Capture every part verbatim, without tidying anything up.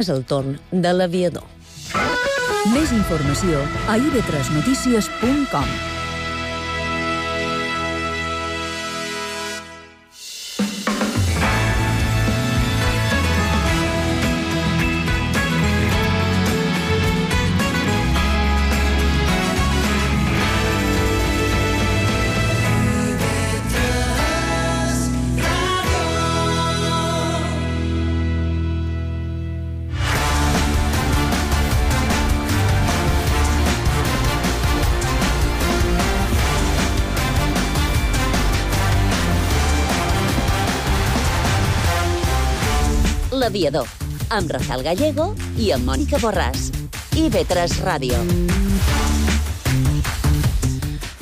És el torn de l'aviador. Més informació a i ve tres notícies punt com. L'aviador, amb Rafael Gallego i amb Mònica Borràs. i ve tres Ràdio.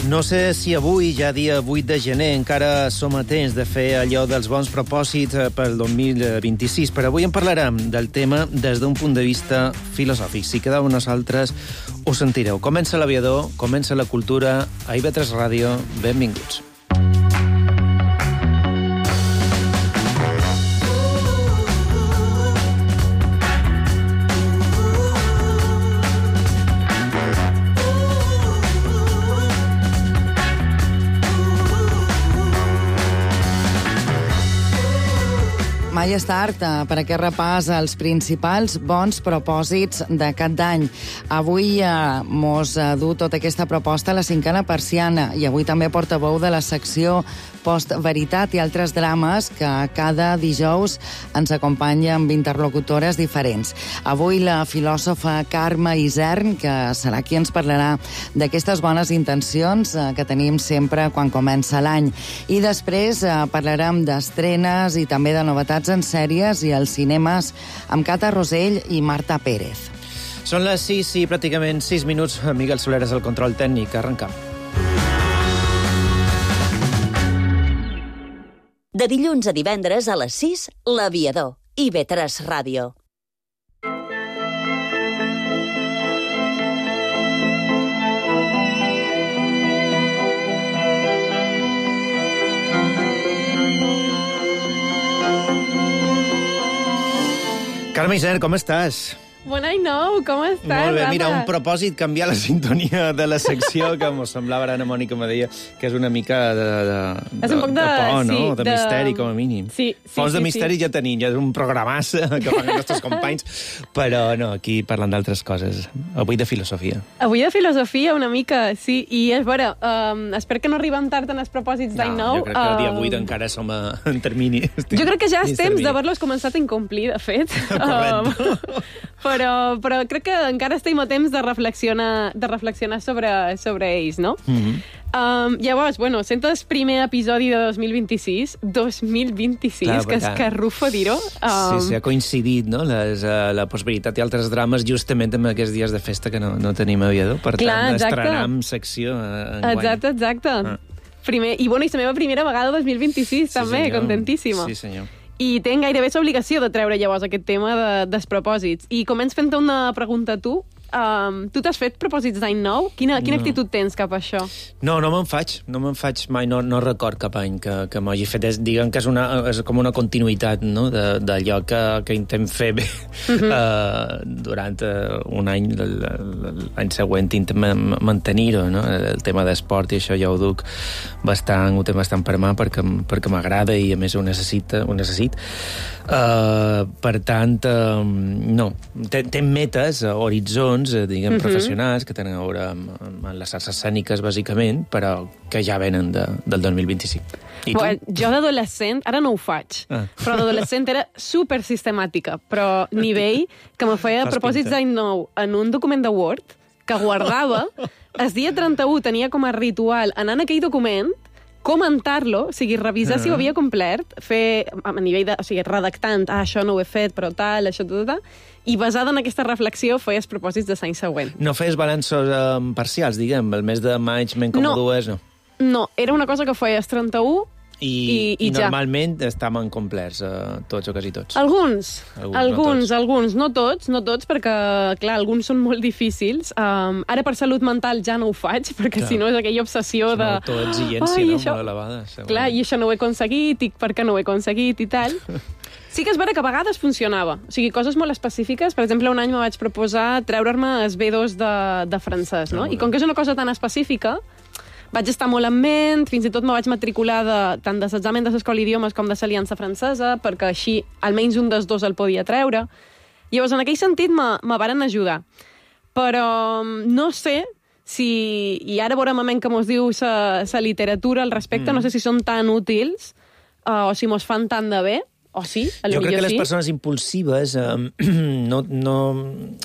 No sé si avui, ja dia vuit de gener, encara som a temps de fer allò dels bons propòsits pel dos mil vint-i-sis, però avui en parlarem del tema des d'un punt de vista filosòfic. Si quedeu amb nosaltres, ho sentireu. Comença l'aviador, comença la cultura, a i ve tres Ràdio, benvinguts. Mai és tard per aquest repàs als principals bons propòsits d'aquest any. Avui eh, mos du tota aquesta proposta a la cinquena persiana i avui també portaveu de la secció Post-Veritat i altres drames que cada dijous ens acompanya amb interlocutores diferents. Avui la filòsofa Carme Isern, que serà qui ens parlarà d'aquestes bones intencions eh, que tenim sempre quan comença l'any. I després eh, parlarem d'estrenes i també de novetats en sèries i als cinemes amb Cata Rosell i Marta Pérez. Són les sis i pràcticament sis minuts. Miguel Soleres al control tècnic. Arrencam. De dilluns a divendres a les sis, l'Aviador. i ve tres Ràdio. Carme Isern, com estàs? Bon any nou, com estàs, Molt bé, Rafa? mira, un propòsit, canviar la sintonia de la secció, que m'ho semblava, ara Ana Mònica me deia que és una mica de, de, És un poc de- de por, no? sí, de, de- misteri, com a mínim. Sí, sí, Fons de sí, misteri sí. ja tenim, ja és un programassa que fan els nostres companys, però no, aquí parlant d'altres coses. Avui de filosofia. Avui de filosofia, una mica, sí. I és vera, um, espero que no arribem tard en els propòsits d'any nou. jo crec que el dia Um, vuit encara som a, en termini. Jo crec que ja és Dins temps termini. d'haver-los començat a incomplir, de fet. Correcte. Um, però, però crec que encara estem a temps de reflexionar, de reflexionar sobre, sobre ells, no? Mhm. Um, llavors, bueno, sent el primer episodi de dos mil vint-i-sis, dos mil vint-i-sis, Clar, que és clar. que rufo dir-ho. Um, Sí, sí, ha coincidit, no?, Les, uh, la possibilitat i altres drames justament amb aquests dies de festa que no, no tenim aviador. Per Clar, tant, exacte. estrenam secció uh, enguany. Exacte, exacte. Ah. Primer, I bueno, i la meva primera vegada dos mil vint-i-sis, Sí, també, senyor. contentíssima. Sí, senyor. I tenc gairebé l'obligació de treure llavors aquest tema de, dels propòsits. I començ fent-te una pregunta a tu. Um, tu t'has fet propòsits d'any nou? Quina, quina No. actitud tens cap a això? No, no me'n faig, no me'n faig mai, no, no record cap any que, que m'hagi fet. És, diguem que és, una, és com una continuïtat, no?, de- d'allò que, que intentem fer bé Mhm. uh, durant uh, un any, l- l- l'any següent intentem ma- mantenir-ho, no?, el tema d'esport i això ja ho duc bastant, ho tinc bastant per mà perquè, m- perquè m'agrada i a més ho necessita, ho necessit. Uh, per tant, uh, no, ten, ten metes, uh, horitzons, uh, diguem, Mhm. professionals, que tenen a veure amb, amb les arts escèniques, bàsicament, però que ja venen de, del dos mil vint-i-cinc. I tu? Bueno, jo d'adolescent, ara no ho faig, Ah. però d'adolescent era super sistemàtica, però nivell que me feia Fas propòsits pinta. d'any nou en un document de Word que guardava. El dia trenta-u tenia com a ritual anar en aquell document, comentar-lo, o sigui, revisar si ho havia complert, fer a nivell de... O sigui, redactant, ah, això no ho he fet, però tal, això, tot, tot, i basada en aquesta reflexió feies propòsits de l'any següent. No feies balanços um, parcials, diguem, el mes de maig m'en com No. dues, no? No, era una cosa que feies trenta-u. I, I- i ja. normalment estaven complerts, uh, tots o quasi tots. Alguns, Alguns, alguns, no alguns, tots. no tots, no tots, perquè, clar, alguns són molt difícils. Um, ara per salut mental ja no ho faig, perquè Clar. si no és aquella obsessió de... Són autoexigència, Ai, no?, això- molt elevada. segurament. Clar, i això no ho he aconseguit, i per què no ho he aconseguit, i tal. Sí que és vera que a vegades funcionava. O sigui, coses molt específiques. Per exemple, un any me vaig proposar treure-me els B dos de, de francès, no? Ah, I com que és una cosa tan específica, vaig estar molt en ment, fins i tot me vaig matricular de, tant de l'examen de l'Escola d'Idiomes com de l'Aliança Francesa, perquè així almenys un dels dos el podia treure. Llavors, en aquell sentit, me, me varen ajudar. Però no sé si... I ara veurem a què mos diu la literatura al respecte, mm. no sé si són tan útils uh, o si mos fan tant de bé. O sí, a jo crec que les sí. persones impulsives eh, no, no,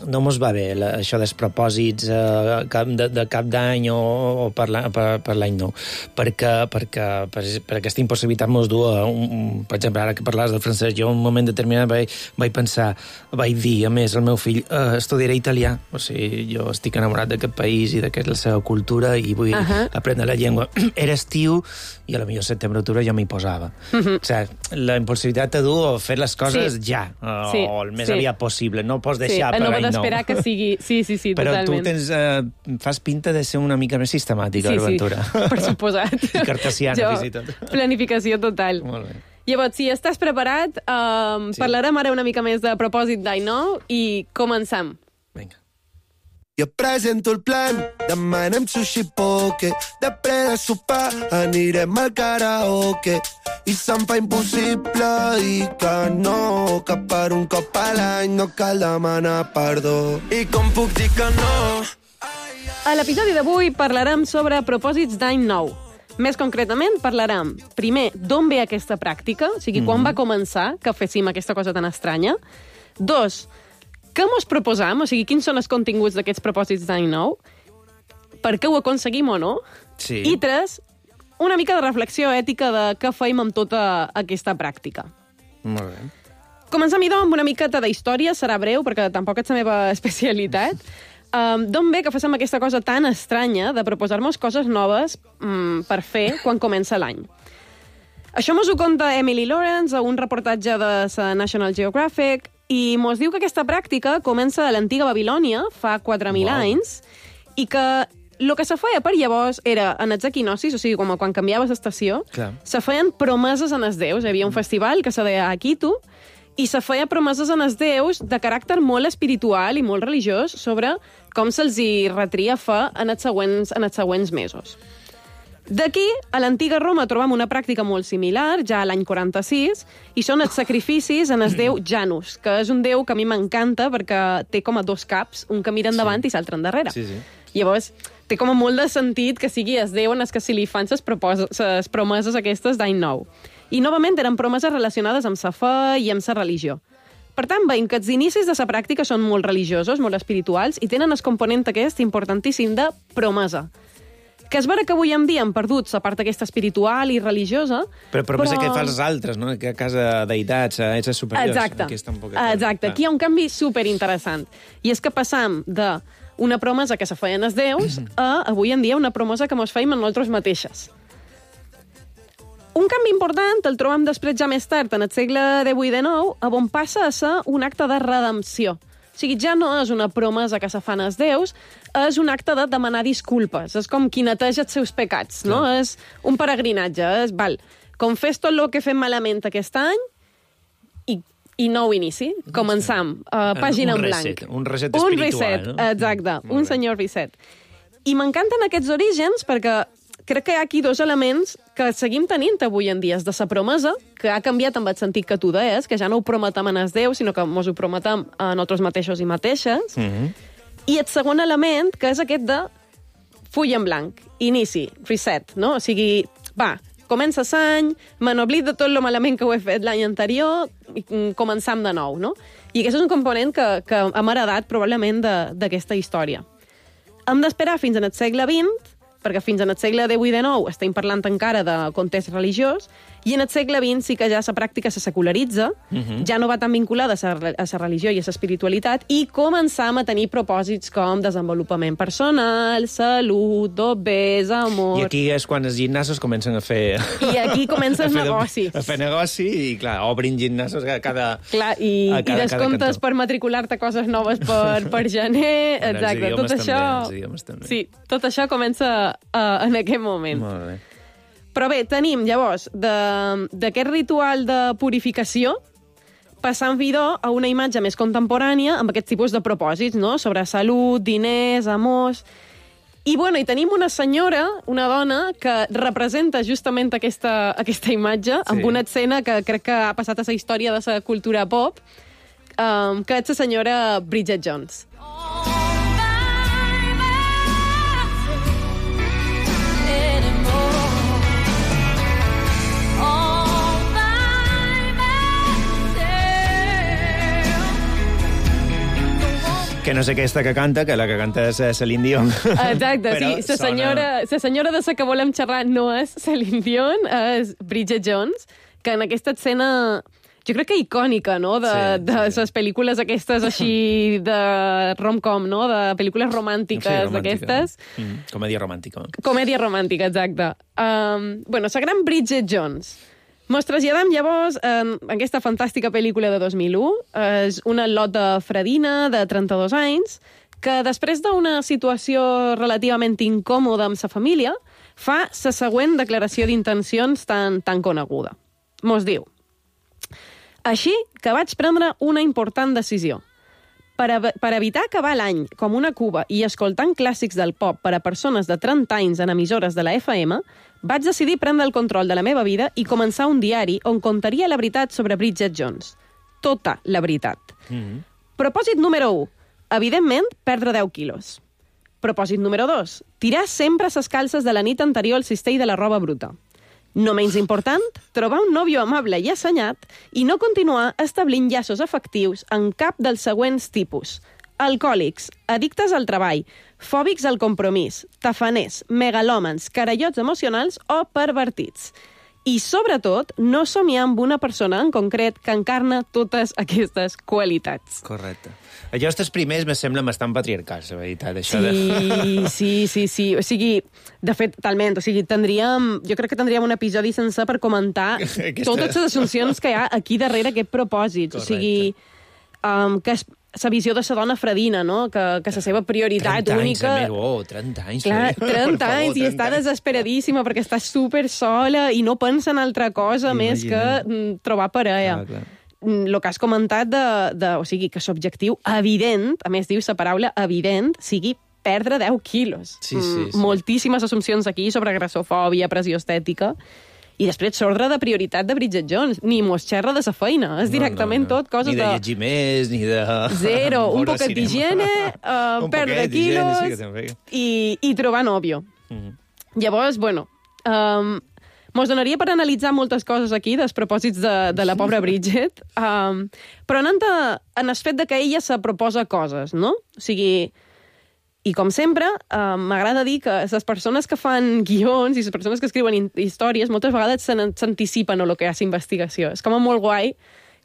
no mos va bé la, això dels propòsits eh, cap de, de cap d'any o, o per l'any nou, perquè, perquè per, per aquesta impossibilitat mos du a un, un, per exemple, ara que parlaves del francès, jo en un moment determinat vaig, vaig pensar, vaig dir, a més, al meu fill, eh, estudiaré italià, o sigui, jo estic enamorat d'aquest país i d'aquesta la seva cultura i vull uh -huh. aprendre la llengua. Era estiu i a la millor setembre-octubre jo m'hi posava. Uh -huh. O sigui, la impulsivitat t'ha dur a fer les coses sí. ja, o, sí. o el més sí. aviat possible. No pots deixar sí. per any nou. No d'esperar que sigui... Sí, sí, sí, però totalment. tu tens, eh, fas pinta de ser una mica més sistemàtica, sí, l'aventura. Sí, per suposat. I cartesiana, jo, fins i tot. Planificació total. Molt bé. Llavors, si estàs preparat, eh, sí. parlarem ara una mica més de propòsit d'any nou i comencem. Vinga. Jo presento el plan, demanem sushi poke, després de sopar anirem al karaoke i se'm fa impossible dir que no, que per un cop a l'any no cal demanar perdó. I com puc dir que no? A l'episodi d'avui parlarem sobre propòsits d'any nou. Més concretament, parlarem, primer, d'on ve aquesta pràctica, o sigui, mm-hmm. quan va començar que féssim aquesta cosa tan estranya. Dos, què mos proposam? O sigui, quins són els continguts d'aquests propòsits d'any nou? Per què ho aconseguim o no? Sí. I tres, una mica de reflexió ètica de què feim amb tota aquesta pràctica. Molt bé. Comencem, idò, amb una miqueta d'història, serà breu, perquè tampoc és la meva especialitat. Um, D'on ve que fem aquesta cosa tan estranya de proposar-nos coses noves um, per fer quan comença l'any? Això mos ho conta Emily Lawrence a un reportatge de la National Geographic i mos diu que aquesta pràctica comença a l'antiga Babilònia, fa quatre mil wow. anys, i que el que se feia per llavors era, en els equinocis, o sigui, com quan canviaves d'estació, se feien promeses en els déus. Hi havia un festival que se deia Akitu, i se feia promeses en els déus de caràcter molt espiritual i molt religiós sobre com se'ls hi retria fer en els següents, en els següents mesos. D'aquí, a l'antiga Roma trobam una pràctica molt similar, ja a l'any quaranta-sis, i són els sacrificis en el déu Janus, que és un déu que a mi m'encanta perquè té com a dos caps, un que mira endavant sí. i l'altre endarrere. Sí, sí. Llavors, té com a molt de sentit que sigui el déu en el que se li fan les promeses aquestes d'any nou. I, novament, eren promeses relacionades amb la fe i amb la religió. Per tant, veiem que els inicis de la pràctica són molt religiosos, molt espirituals, i tenen el component aquest importantíssim de promesa. Que és vera que avui en dia hem perdut la part aquesta espiritual i religiosa, però... Promesa però... que fas als altres, no? Que a casa deïtats, a éssers superiors. Exacte. Aquí està un poc... Exacte. Aquí hi ha un canvi superinteressant. I és que passam de una promesa que se feien els déus a, avui en dia, una promesa que mos feim en nosaltres mateixes. Un canvi important el trobam després ja més tard, en el segle divuit i dinou, on passa a ser un acte de redempció. O sigui, ja no és una promesa que se fan els déus, és un acte de demanar disculpes. És com qui neteja els seus pecats, no? Clar. És un peregrinatge. És, val, confés tot el que fem malament aquest any i, i nou inici. Començam. Uh, pàgina en blanc. Reset, un reset espiritual. Un reset, no? exacte. Molt un bé. senyor reset. I m'encanten aquests orígens perquè crec que hi ha aquí dos elements que seguim tenint avui en dia. És de la promesa, que ha canviat amb el sentit que tu deies, que ja no ho prometem en els déus, sinó que mos ho prometem a nosaltres mateixos i mateixes. Mm-hmm. I el segon element, que és aquest de full en blanc, inici, reset, no? O sigui, va, comença l'any, me n'oblid de tot lo malament que ho he fet l'any anterior, i començam de nou, no? I aquest és un component que, que hem heredat probablement d'aquesta història. Hem d'esperar fins en el segle vint, perquè fins en el segle divuit i dinou estem parlant encara de context religiós, i en el segle vint sí que ja la pràctica se secularitza, uh-huh. ja no va tan vinculada a la religió i a l'espiritualitat, i començam a tenir propòsits com desenvolupament personal, salut, dobbers, amor... I aquí és quan els gimnasos comencen a fer... I aquí comença el negoci. A fer negoci i, clar, obrin gimnasos a cada... Clar, i, a cada, i descomptes per matricular-te coses noves per, per gener, exacte. Tot això... També, sí, tot això comença uh, en aquest moment. Molt bé. Però bé, tenim, llavors, d'aquest ritual de purificació, passant vidó a una imatge més contemporània amb aquest tipus de propòsits, no? Sobre salut, diners, amors... I, bueno, i tenim una senyora, una dona, que representa justament aquesta, aquesta imatge, sí. amb una escena que crec que ha passat a la història de la cultura pop, um, que és la senyora Bridget Jones. Que no sé aquesta que canta, que la que canta és Celine Dion. Exacte, sí. La senyora, la senyora de la que volem xerrar no és Celine Dion, és Bridget Jones, que en aquesta escena, jo crec que icònica, no?, de, sí, de sí. les pel·lícules aquestes així de rom-com, no?, de pel·lícules romàntiques, sí, romàntica. D'aquestes. Mm, comèdia romàntica. Comèdia romàntica, exacte. Um, bueno, la gran Bridget Jones. Mos traslladem llavors en aquesta fantàstica pel·lícula de dos mil u. És una lota fredina de trenta-dos anys que després d'una situació relativament incòmoda amb sa família fa la següent declaració d'intencions tan, tan coneguda. Mos diu: així que vaig prendre una important decisió. Per, a, per evitar acabar l'any com una cuba i escoltant clàssics del pop per a persones de trenta anys en emissores de la F M, vaig decidir prendre el control de la meva vida i començar un diari on contaria la veritat sobre Bridget Jones. Tota la veritat. Mm-hmm. Propòsit número u. Evidentment, perdre deu quilos. Propòsit número dos. Tirar sempre ses calces de la nit anterior al cistell de la roba bruta. No menys important, trobar un nòvio amable i assenyat i no continuar establint llaços afectius en cap dels següents tipus: alcohòlics, addictes al treball, fòbics al compromís, tafaners, megalòmans, carallots emocionals o pervertits. I, sobretot, no somiar amb una persona en concret que encarna totes aquestes qualitats. Correcte. Allò, els primers me semblen bastant patriarcals, la veritat. Això sí, de... sí, sí, sí. O sigui, de fet, talment, o sigui, tindríem... Jo crec que tindríem un episodi sencer per comentar Aquesta... totes les assumpcions que hi ha aquí darrere aquest propòsit. Correcte. O sigui, um, que és la visió de la dona fredina, no? Que, que la seva prioritat única... trenta anys, oh, trenta anys. Clar, trenta anys, favor, i està anys. Desesperadíssima perquè està super sola i no pensa en altra cosa Imagina. Més que mm, trobar parella. Clar, clar. El que has comentat de, de... O sigui, que l'objectiu evident, a més diu la paraula evident, sigui perdre deu quilos. Sí, sí, sí. Moltíssimes assumpcions aquí sobre grassofòbia, pressió estètica... I després s'ordre de prioritat de Bridget Jones. Ni mos xerra de sa feina. És directament no, no, no. tot coses de... Ni de llegir més, ni de... Zero. Un poquet d'higiene, uh, perdre quilos sí, i, i trobar nòvio. Mm. Llavors, bueno... Um, mos donaria per analitzar moltes coses aquí, dels propòsits de, de la pobra Bridget, um, però anant a, en el fet de que ella se proposa coses, no? O sigui... I, com sempre, eh, m'agrada dir que les persones que fan guions i les persones que escriuen històries moltes vegades s'anticipen a lo que és investigació. És com molt guai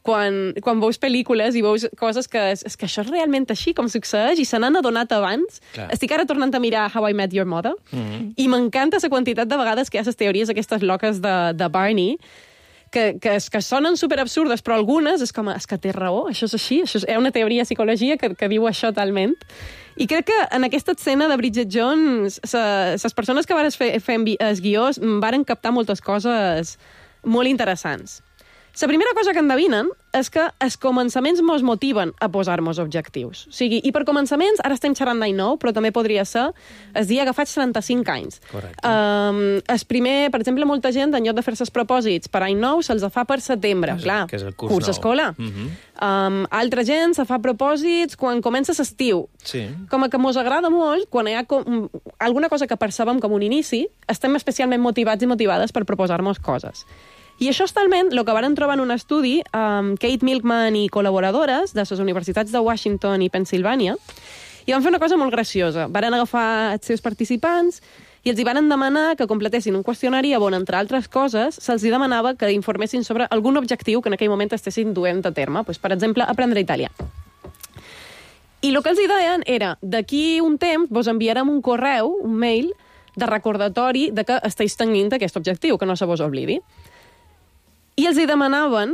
quan, quan veus pel·lícules i veus coses que és, és que això és realment així, com succeeix, i se n'han adonat abans. Clar. Estic ara tornant a mirar How I Met Your Mother, mm-hmm. i m'encanta la quantitat de vegades que hi ha les teories aquestes loques de, de Barney, que, que, que sonen superabsurdes, però algunes és com, és que té raó, això és així, això és una teoria de psicologia que, que diu això talment. I crec que en aquesta escena de Bridget Jones, les persones que van fer, fer els guions varen captar moltes coses molt interessants. La primera cosa que endevinen és que els començaments mos motiven a posar-nos objectius. O sigui, i per començaments, ara estem xerrant d'any nou, però també podria ser el dia que faig trenta-cinc anys. Correcte. Um, el primer, per exemple, molta gent, en lloc de fer-se els propòsits per any nou, se'ls fa per setembre. Que és, clar, que és el curs, curs nou. escola. Uh-huh. Um, altra gent se fa propòsits quan comença l'estiu. Sí. Com que mos agrada molt, quan hi ha com, alguna cosa que percebem com un inici, estem especialment motivats i motivades per proposar-nos coses. I això és talment el que varen trobar en un estudi amb um, Kate Milkman i col·laboradores de les universitats de Washington i Pennsylvania, i van fer una cosa molt graciosa. Varen agafar els seus participants i els hi varen demanar que completessin un qüestionari on, entre altres coses, se'ls hi demanava que informessin sobre algun objectiu que en aquell moment estessin duent a terme. Pues, per exemple, aprendre italià. I el que els hi deien era, d'aquí un temps vos enviarem un correu, un mail, de recordatori de que esteu tenint aquest objectiu, que no se vos oblidi. I els hi demanaven...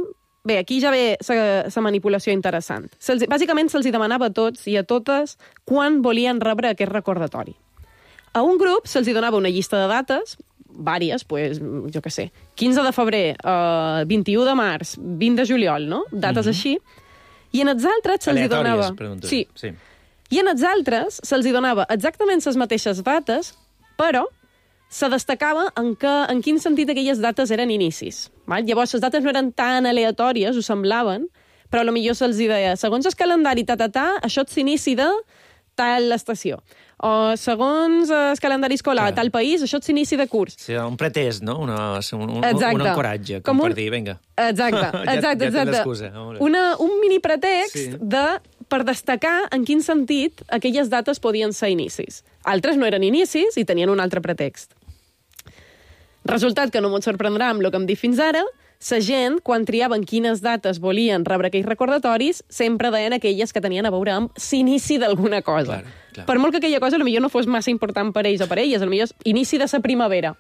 Bé, aquí ja ve la manipulació interessant. Se'ls, bàsicament se'ls hi demanava a tots i a totes quan volien rebre aquest recordatori. A un grup se'ls hi donava una llista de dates, vàries, pues, jo què sé, quinze de febrer, uh, vint-i-u de març, vint de juliol, no? Dates mm-hmm. així. I en els altres se'ls hi donava... Aleatòries, sí. sí. I en els altres se'ls hi donava exactament les mateixes dates, però se destacava en, que, en quin sentit aquelles dates eren inicis. Val? Llavors, les dates no eren tan aleatòries, ho semblaven, però potser se'ls deia, segons el calendari, ta, ta, ta, això és l'inici de tal estació. O segons el calendari escolar, a tal país, això és l'inici de curs. Sí, un pretès, no? Una, un, un, un encoratge, com, com un... per dir, vinga. Exacte, exacte, ja, ja exacte. Una, un mini pretext sí. de, per destacar en quin sentit aquelles dates podien ser inicis. Altres no eren inicis i tenien un altre pretext. Resultat que no m'ho sorprendrà amb el que hem dit fins ara, la gent, quan triaven quines dates volien rebre aquells recordatoris, sempre deien aquelles que tenien a veure amb l'inici d'alguna cosa. Clar, clar. Per molt que aquella cosa potser no fos massa important per ells o per elles, potser és inici de la primavera.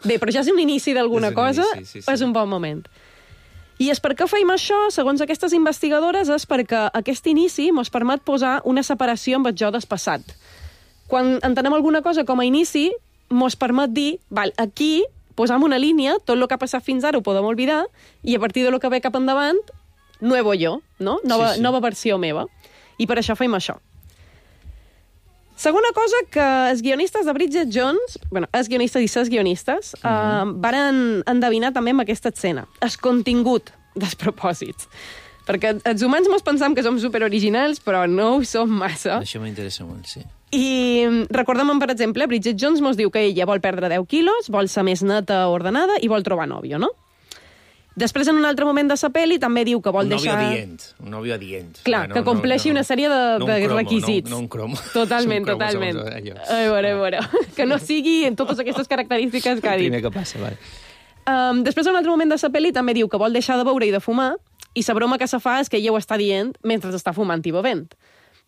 Bé, però ja és un inici d'alguna cosa, inici, sí, sí. És un bon moment. I és per què feim això, segons aquestes investigadores, és perquè aquest inici ens permet posar una separació amb el jo del passat. Quan entenem alguna cosa com a inici, ens permet dir, val, aquí posam una línia, tot el que ha passat fins ara ho podem oblidar, i a partir de lo que ve cap endavant, nuevo jo, no? Nova, sí, sí. nova versió meva. I per això feim això. Segona cosa que els guionistes de Bridget Jones, bueno, els guionistes i ses guionistes, mm -hmm. uh, varen endevinar també amb aquesta escena. El contingut dels propòsits. Perquè els humans mos pensam que som superoriginals, però no ho som massa. Això m'interessa molt, sí. I recordem, per exemple, Bridget Jones mos diu que ella vol perdre deu quilos, vol ser més neta, ordenada i vol trobar nòvio, no? Després, en un altre moment de la pel·li, també diu que vol un deixar... Un nòvio adient, un nòvio adient. Clar, no, que compleixi no, no, una sèrie de, no de cromo, requisits. No, no un cromo. Totalment, cromo, totalment. Som allò. A veure, a veure. Que no sigui en totes aquestes característiques que ha dit. El primer que passa, vale. Um, després, en un altre moment de la pel·li, també diu que vol deixar de beure i de fumar, i la broma que se fa és que ella ho està dient mentre està fumant i bevent.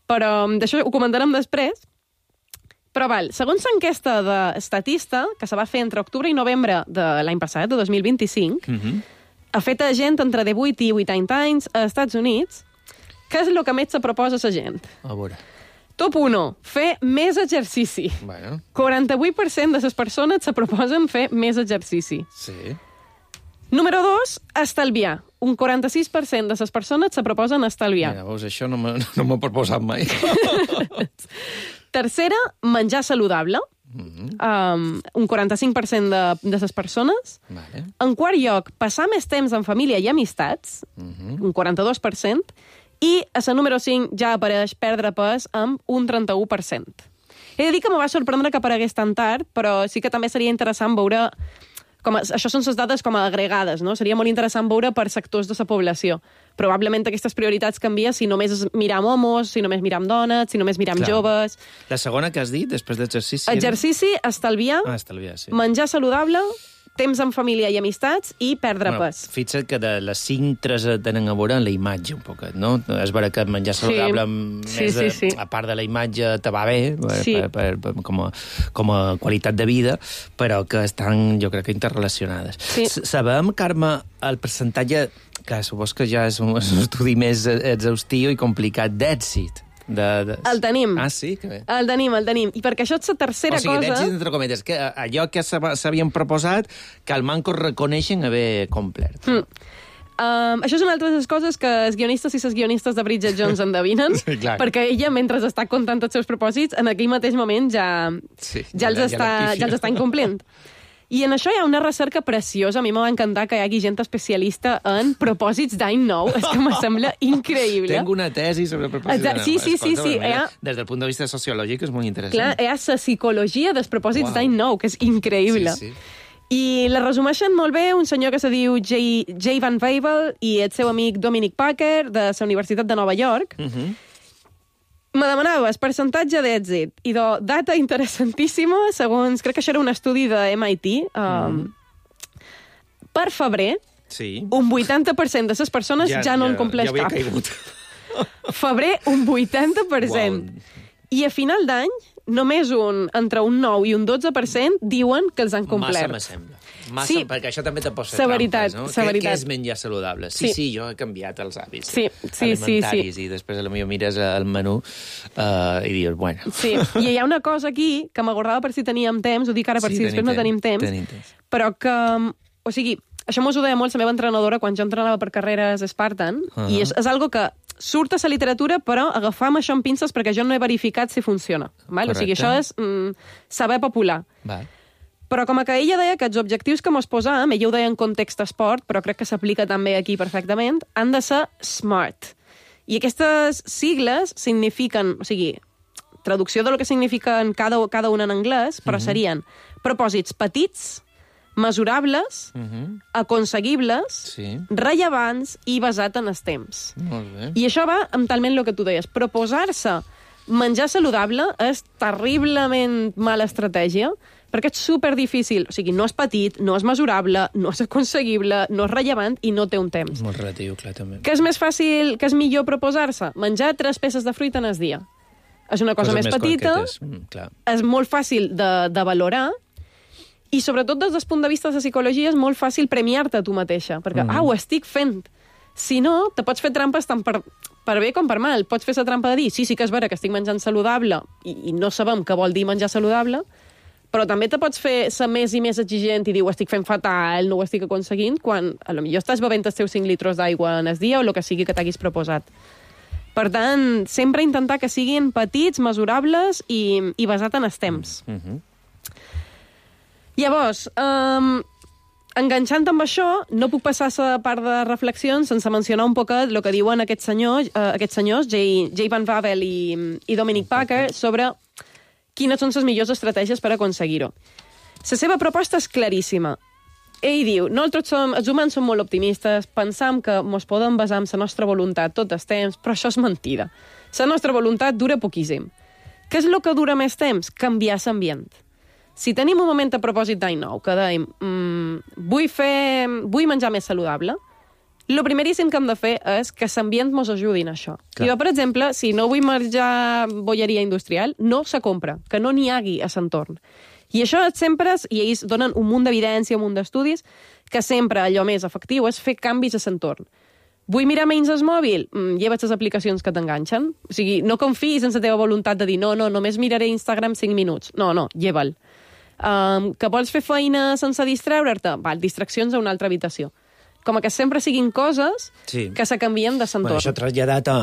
Però d'això ho comentarem després. Però val, segons l'enquesta d'Estatista, que se va fer entre octubre i novembre de l'any passat, de dos mil vint-i-cinc, mm-hmm. ha fet a gent entre divuit i vuitanta anys als Estats Units, què és el que més se proposa a la gent? A veure. Top u, fer més exercici. Bueno. quaranta-vuit per cent de les persones se proposen fer més exercici. Sí. Número dos, estalviar. Un quaranta-sis per cent de les persones se proposen estalviar. Mira, veus, això no m'ha no proposat mai. Tercera, menjar saludable. Mm-hmm. um, un quaranta-cinc per cent de, de les persones. Vale. En quart lloc, passar més temps en família i amistats. Mm-hmm. Un quaranta-dos per cent. I a la número cinc ja apareix perdre pes amb un trenta-u per cent. He de dir que me va sorprendre que aparegués tan tard, però sí que també seria interessant veure... Com a, això són les dades com a agregades, no? Seria molt interessant veure per sectors de la població. Probablement aquestes prioritats canvien si només miram homos, si només miram dones, si només miram Clar. joves... La segona que has dit, després d'exercici... Exercici, estalviar, ah, estalviar sí. menjar saludable, temps en família i amistats i perdre bueno, pes. Fixa't que de les cinc, tres tenen a veure amb la imatge un poquet, no? És vera que menjar saludable sí. més sí, sí, sí. A, a part de la imatge te va bé per, sí. per, per, per, com, a, com a qualitat de vida, però que estan, jo crec que interrelacionades. Sí. Sabem, Carme, el percentatge, que supos que ja és un, és un estudi més exhaustiu i complicat, d'èxit. De, de... El tenim. Ah, sí? Que bé. El tenim, el tenim. I perquè això és la tercera cosa... O sigui, d'èxit, entre cometes, que allò que s'havien proposat, que el manco reconeixen haver complert. Mm. Um, això és una altra de les coses que els guionistes i les guionistes de Bridget Jones endevinen, sí, perquè ella, mentre està contant tots els seus propòsits, en aquell mateix moment ja, sí, ja, els, ja, està, ja els està incomplint. I en això hi ha una recerca preciosa. A mi m'ha encantat que hi hagi gent especialista en propòsits d'any nou. És que me sembla increïble. Tengo una tesi sobre propòsits d'any nou. Sí, sí, sí. sí. Ha... Des del punt de vista sociològic és molt interessant. Clar, hi ha la psicologia dels propòsits wow. d'any nou, que és increïble. Sí, sí. I la resumeixen molt bé un senyor que se diu Jay, Jay Van Wevel i el seu amic Dominic Packer de la Universitat de Nova York. Uh-huh. Me demanaves percentatge d'èxit i de data interessantíssima, segons, crec que això era un estudi de M I T. Um, mm. Per febrer, sí. un vuitanta per cent de les persones ja, ja no ja, en compleix ja cap. Febrer, un vuitanta per cent. Wow. I a final d'any, només un, entre un nou i un dotze per cent diuen que els han complert. Massa m'assembla. Massa, sí, perquè això també te pot ser severitat, trampes, no? severitat. Què, què és menjar saludable? Sí, sí, Sí. jo he canviat els hàbits Sí, sí, alimentaris sí, sí. i després potser mires el menú uh, i dius, bueno... Sí, i hi ha una cosa aquí que m'agradava per si teníem temps, ho dic ara per Sí, si després no tenim temps, tenim temps. però que, o sigui, això mos ho deia molt la meva entrenadora quan jo entrenava per carreres Spartan, uh -huh. i és, és algo que surt a la literatura, però agafam això amb pinces perquè jo no he verificat si funciona. Val? O sigui, això és mm, saber popular. Val. Però com que ella deia que els objectius que mos posàvem, ella ho deia en context esport, però crec que s'aplica també aquí perfectament, han de ser SMART. I aquestes sigles signifiquen, o sigui, traducció de lo que signifiquen cada, cada una en anglès, però uh -huh. serien propòsits petits, mesurables, uh -huh. aconseguibles, sí. rellevants i basat en els temps. Molt bé. I això va amb talment el que tu deies. Proposar-se menjar saludable és terriblement mala estratègia, perquè és superdifícil. O sigui, no és petit, no és mesurable, no és aconseguible, no és rellevant i no té un temps. Molt relatiu, clar, també. Què és més fàcil, què és millor proposar-se? Menjar tres peces de fruita en el dia. És una cosa Coses més, més petita, mm, clar. és molt fàcil de, de valorar, i sobretot des del punt de vista de la psicologia és molt fàcil premiar-te a tu mateixa, perquè, mm. ah, ho estic fent. Si no, te pots fer trampes tant per, per bé com per mal. Pots fer la trampa de dir, sí, sí que és vera que estic menjant saludable, i, i no sabem què vol dir menjar saludable, però també te pots fer ser més i més exigent i dir, ho estic fent fatal, no ho estic aconseguint, quan a lo millor estàs bevent els teus cinc litres d'aigua en el dia o el que sigui que t'haguis proposat. Per tant, sempre intentar que siguin petits, mesurables i, i basat en els temps. Mm -hmm. Llavors, um, enganxant amb això, no puc passar la part de reflexions sense mencionar un poc el que diuen aquests senyors, uh, aquests senyors Jay, Jay Van Bavel i, i Dominic Packer, sobre quines són les millors estratègies per aconseguir-ho. La seva proposta és claríssima. Ell diu, nosaltres som, els humans som molt optimistes, pensam que ens podem basar en la nostra voluntat tot el temps, però això és mentida. La nostra voluntat dura poquíssim. Què és el que dura més temps? Canviar l'ambient. Si tenim un moment a propòsit d'any nou, que dèiem, mmm, vull, fer, vull menjar més saludable, el primeríssim que hem de fer és que l'ambient ens ajudi en això. Clar. Jo, per exemple, si no vull menjar bolleria industrial, no se compra, que no n'hi hagi a l'entorn. I això sempre, i ells donen un munt d'evidència, un munt d'estudis, que sempre allò més efectiu és fer canvis a l'entorn. Vull mirar menys el mòbil? Mm, lleva't les aplicacions que t'enganxen. O sigui, no confiïs en la teva voluntat de dir no, no, només miraré Instagram cinc minuts. No, no, lleva'l. Um, que vols fer feina sense distreure'te? Val, distraccions a una altra habitació. Com que sempre siguin coses sí. que se canvien de l'entorn. Bueno, això traslladat a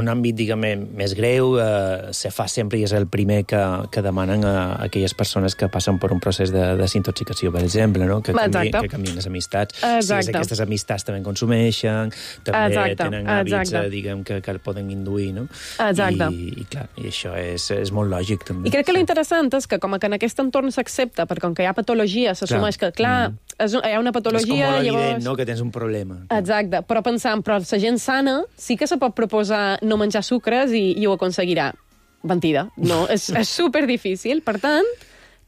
un àmbit, diguem, més greu, eh, se fa sempre i és el primer que, que demanen a aquelles persones que passen per un procés de desintoxicació, per exemple, no? que, canvi, que canvien les amistats. Exacte. Si aquestes amistats també consumeixen, també Exacte. tenen hàbits, Exacte. eh, diguem, que, que el poden induir, no? Exacte. I, i clar, i això és, és molt lògic, també. I crec que sí. l'interessant és que, com que en aquest entorn s'accepta, perquè com que hi ha patologia, s'assumeix que, clar, mm. és, hi ha una patologia... És com molt llavors... evident, no?, que tens un problema. Exacte, però pensant, però la gent sana sí que se pot proposar no menjar sucres i, i ho aconseguirà. Mentida, no, és, és superdifícil. Per tant,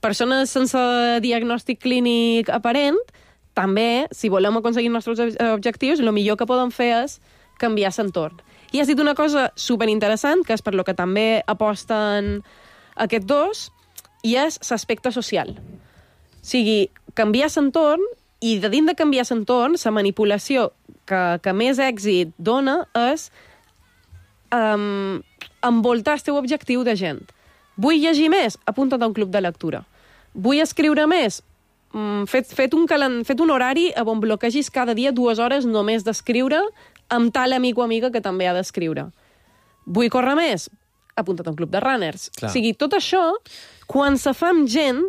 persones sense diagnòstic clínic aparent, també, si volem aconseguir els nostres objectius, el millor que podem fer és canviar l'entorn. I has dit una cosa superinteressant, que és per lo que també aposten aquests dos, i és l'aspecte social. O sigui, canviar l'entorn, i de dins de canviar l'entorn, la manipulació que, que més èxit dona és um, envoltar el teu objectiu de gent. Vull llegir més? Apunta't a un club de lectura. Vull escriure més? Mm, fet, fet, un calen, fet un horari on bloquegis cada dia dues hores només d'escriure amb tal amic o amiga que també ha d'escriure. Vull córrer més? Apunta't a un club de runners. Clar. O sigui, tot això, quan se fa amb gent,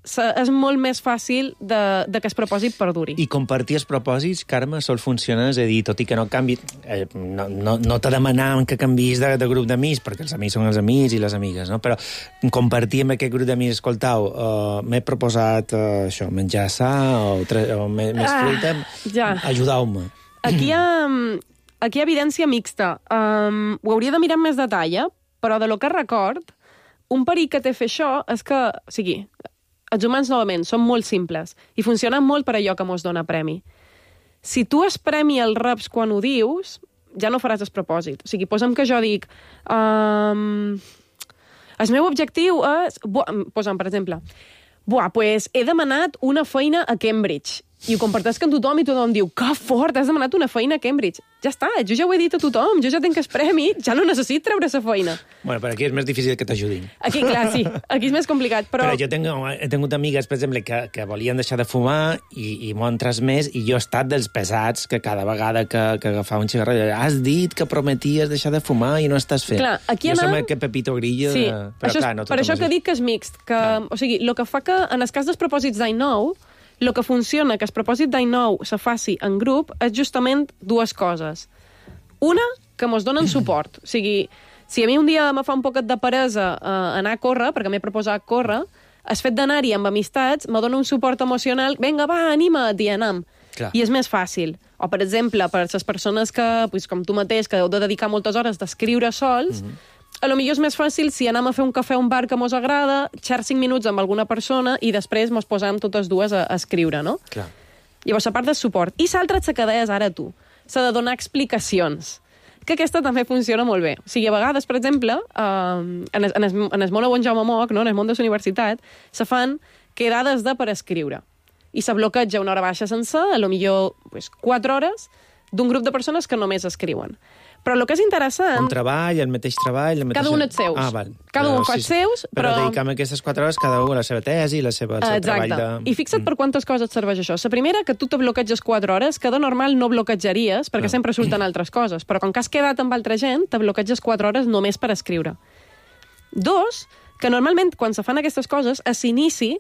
és molt més fàcil de, de que es propòsit perduri. I compartir els propòsits, Carme, sol funcionar, és a dir, tot i que no canvi, eh, no, no, no te demanàvem que canvis de, de grup d'amics, perquè els amics són els amics i les amigues, no? Però compartir amb aquest grup d'amics, escoltau, uh, m'he proposat uh, això, menjar sa o, tre, o més, més ah, fruita, ja. ajudeu-me. Aquí hi ha, aquí hi ha evidència mixta. Um, ho hauria de mirar amb més detall, eh? Però de lo que record, un perill que té fer això és que, o sigui, els humans, novament, són molt simples i funcionen molt per allò que mos dona premi. Si tu es premi els reps quan ho dius, ja no faràs el propòsit. O sigui, posa'm que jo dic um, el meu objectiu és... Posa'm, per exemple, buah, pues he demanat una feina a Cambridge. I ho comparteix amb tothom i tothom diu que fort, has demanat una feina a Cambridge. Ja està, jo ja ho he dit a tothom, jo ja tinc el premi, ja no necessit treure la feina. Bueno, però aquí és més difícil que t'ajudin. Aquí, clar, sí, aquí és més complicat, però... Però jo tenc, he tingut amigues, per exemple, que, que volien deixar de fumar i, i m'ho han transmès, i jo he estat dels pesats que cada vegada que, que agafava un cigarret has dit que prometies deixar de fumar i no estàs fent. Clar, aquí jo anam... som que Pepito Grillo... Sí, de... però, això és, clar, no per això que dic que és mixt. Que, o sigui, el que fa que, en el cas dels propòsits d'any nou, el que funciona que el propòsit d'any nou se faci en grup és justament dues coses. Una, que mos donen suport. O sigui, si a mi un dia me fa un poquet de peresa eh, anar a córrer, perquè m'he proposat córrer, el fet d'anar-hi amb amistats me dona un suport emocional. Vinga, va, anima't, i anam. Clar. I és més fàcil. O, per exemple, per les persones que, pues, com tu mateix, que heu de dedicar moltes hores d'escriure sols, mm-hmm. a lo millor és més fàcil si anem a fer un cafè a un bar que mos agrada, xer cinc minuts amb alguna persona i després mos posam totes dues a, a escriure, no? Clar. Llavors, a part del suport. I l'altra que deies ara tu. S'ha de donar explicacions. Que aquesta també funciona molt bé. O sigui, a vegades, per exemple, eh, en, el, en, el, en el món on Jaume Moc, no? En el món de la universitat, se fan quedades de per escriure. I se bloqueja una hora baixa sencer, a lo millor pues, quatre hores, d'un grup de persones que només escriuen. Però el que és interessant... Un treball, el mateix treball... El mateix... Cada un els seus. Ah, val. Cada un però, fa els sí, seus, però... Però dedicam aquestes quatre hores cada un a la seva tesi, la seva, el seu Exacte. treball de... I fixa't per quantes coses et serveix això. La primera, que tu te bloqueges quatre hores, que de normal no bloquejaries, perquè no. sempre surten altres coses. Però com que has quedat amb altra gent, te bloqueges quatre hores només per escriure. Dos, que normalment, quan se fan aquestes coses, a l'inici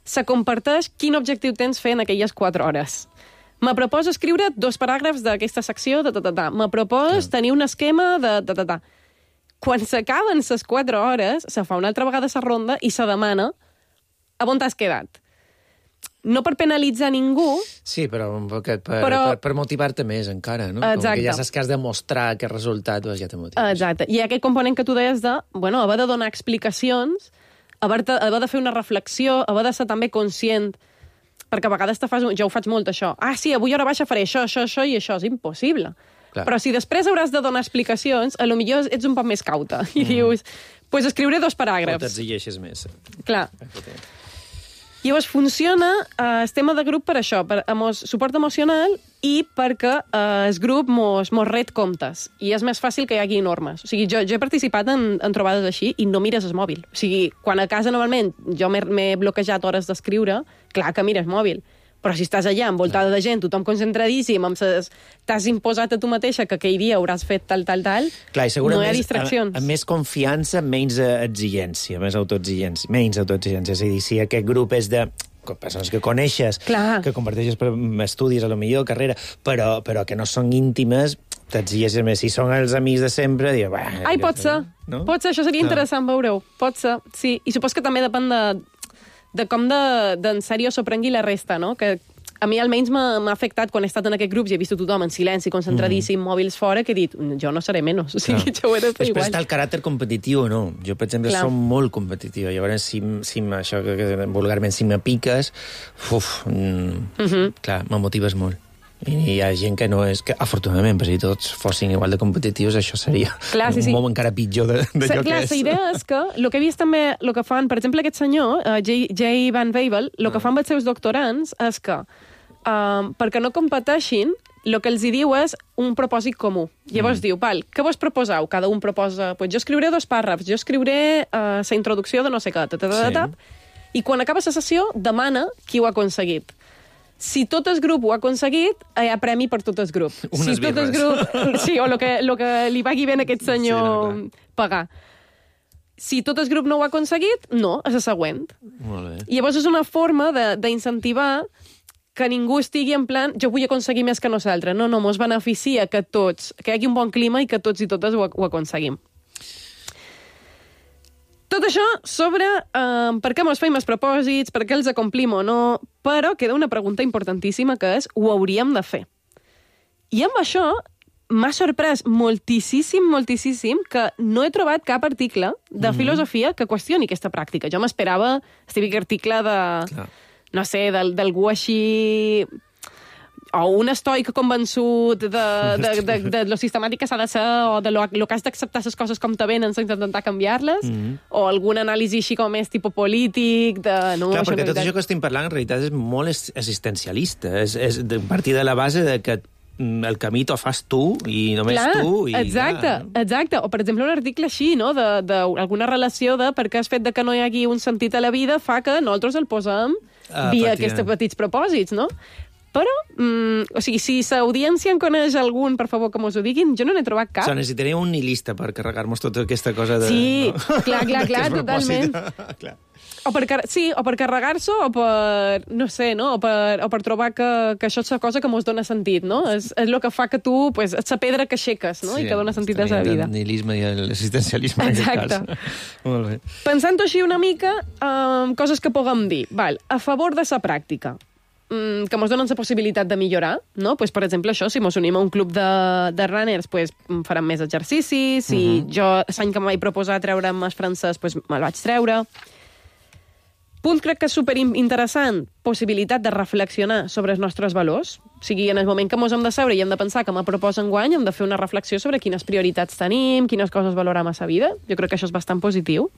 se comparteix quin objectiu tens fer en aquelles quatre hores. Me proposo escriure dos paràgrafs d'aquesta secció de ta-ta-ta. Me propos sí. tenir un esquema de ta-ta-ta. Quan s'acaben les quatre hores, se fa una altra vegada la ronda i se demana a on t'has quedat. No per penalitzar ningú... Sí, però un poquet per, però... per, per motivar-te més encara, no? Exacte. Com que ja saps que has de mostrar aquest resultat, doncs ja te motives. Exacte. I aquest component que tu deies de, bueno, haver de donar explicacions, haver de, haver de fer una reflexió, haver de ser també conscient, perquè a vegades te fas... Jo ho faig molt, això. Ah, sí, avui hora baixa faré això, això, això i això. És impossible. Clar. Però si després hauràs de donar explicacions, a lo millor ets un poc més cauta. I mm. dius, doncs pues escriuré dos paràgrafs. O t'exigeixes més. Clar. Llavors funciona eh, el tema de grup per això, per emos, suport emocional i perquè eh, el grup mos, mos ret comptes. I és més fàcil que hi hagi normes. O sigui, jo, jo he participat en, en trobades així i no mires el mòbil. O sigui, quan a casa normalment jo m'he bloquejat hores d'escriure, clar que mires mòbil. Però si estàs allà envoltada de gent, tothom concentradíssim, amb ses... t'has imposat a tu mateixa que aquell dia hauràs fet tal, tal, tal, clar, no hi ha distraccions. Amb més confiança, menys exigència, més autoexigència, menys autoexigència. És a dir, si aquest grup és de persones que coneixes, clar. Que comparteixes per estudis, a lo millor, carrera, però, però que no són íntimes, t'exigeixes més. Si són els amics de sempre, dius... Ai, pot ser, no? Pot ser, això seria clar. Interessant veure-ho. Pot ser, sí. I supos que també depèn de... de com d'en de, de sèrio s'ho prengui la resta, no? Que a mi almenys m'ha afectat quan he estat en aquest grup i he vist tothom en silenci, concentradíssim, mm. mòbils fora, que he dit, jo no seré menys, o sigui, jo ho he de fer igual. Després està el caràcter competitiu, no? Jo, per exemple, clar. Som molt competitiu. Llavors, si, si això, que vulgarment, si me piques, uf, mm, mm-hmm. clar, me motives molt. I hi ha gent que no és... Que, afortunadament, si tots fossin igual de competitius, això seria clar, sí, sí. un moment encara pitjor d'allò que és. La idea és que el que he vist també, el que fan, per exemple, aquest senyor, uh, Jay, Jay Van Wevel, el que fan amb els seus doctorands és que, uh, perquè no competeixin, el que els hi diu és un propòsit comú. Llavors mm. diu, val, què vos proposeu? Cada un proposa, pues jo escriuré dos pàrrafs, jo escriuré uh, la introducció de no sé què, sí. I quan acaba la sessió, demana qui ho ha aconseguit. Si tot el grup ho ha aconseguit, hi ha premi per tot el grup. Unes si tot el grup, sí, o el que, lo que li pagui bé a aquest senyor sí, no, pagar. Si tot el grup no ho ha aconseguit, no, és la següent. Molt bé. I llavors és una forma d'incentivar que ningú estigui en plan jo vull aconseguir més que nosaltres. No, no, mos beneficia que tots, que hi hagi un bon clima i que tots i totes ho, ho aconseguim. Tot això sobre eh, per què mos feim els propòsits, per què els acomplim o no, però queda una pregunta importantíssima que és, ho hauríem de fer. I amb això m'ha sorprès moltíssim, moltíssim que no he trobat cap article de mm-hmm. filosofia que qüestioni aquesta pràctica. Jo m'esperava el típic article de, clar. No sé, d'algú així... o un estoic convençut de, de, de, de, de lo sistemàtic que s'ha de ser, o de lo, lo que has d'acceptar les coses com te venen sense intentar canviar-les, mm -hmm. o algun anàlisi així com més tipus polític, de... No, Clar, això perquè tot veritat... això que estem parlant en realitat és molt existencialista, és, és de partir de la base de que el camí t'ho fas tu, i només Clar, tu, i exacte, ja, no? exacte. O, per exemple, un article així, no?, d'alguna relació de per què el fet de que no hi hagi un sentit a la vida fa que nosaltres el posem Ah, via patia. aquests petits propòsits, no? Però, mm, o sigui, si l'audiència en coneix algun, per favor, que mos ho diguin, jo no n'he trobat cap. O sigui, necessitaríem un nihilista per carregar-nos tota aquesta cosa de... Sí, no? clar, clar, clar, totalment. Clar. O per, car sí, o per carregar-s'ho, o per, no sé, no? O per, o per trobar que, que això és la cosa que mos dona sentit, no? És, és el que fa que tu, pues, és la pedra que aixeques, no? Sí, I que dona sentit a la vida. El nihilisme i l'existencialisme, en aquest Exacte. cas. Molt bé. Pensant-ho així una mica, um, coses que puguem dir. Val, a favor de la pràctica, um, que ens donen la possibilitat de millorar, no? Pues, per exemple, això, si ens unim a un club de, de runners, pues, farem més exercicis. Si uh -huh. jo, l'any que em vaig proposar treure'm el francès, pues, me'l vaig treure. Punt crec que és superinteressant, possibilitat de reflexionar sobre els nostres valors. O sigui, en el moment que ens hem de seure i hem de pensar que me proposa enguany, hem de fer una reflexió sobre quines prioritats tenim, quines coses valorem a la vida. Jo crec que això és bastant positiu.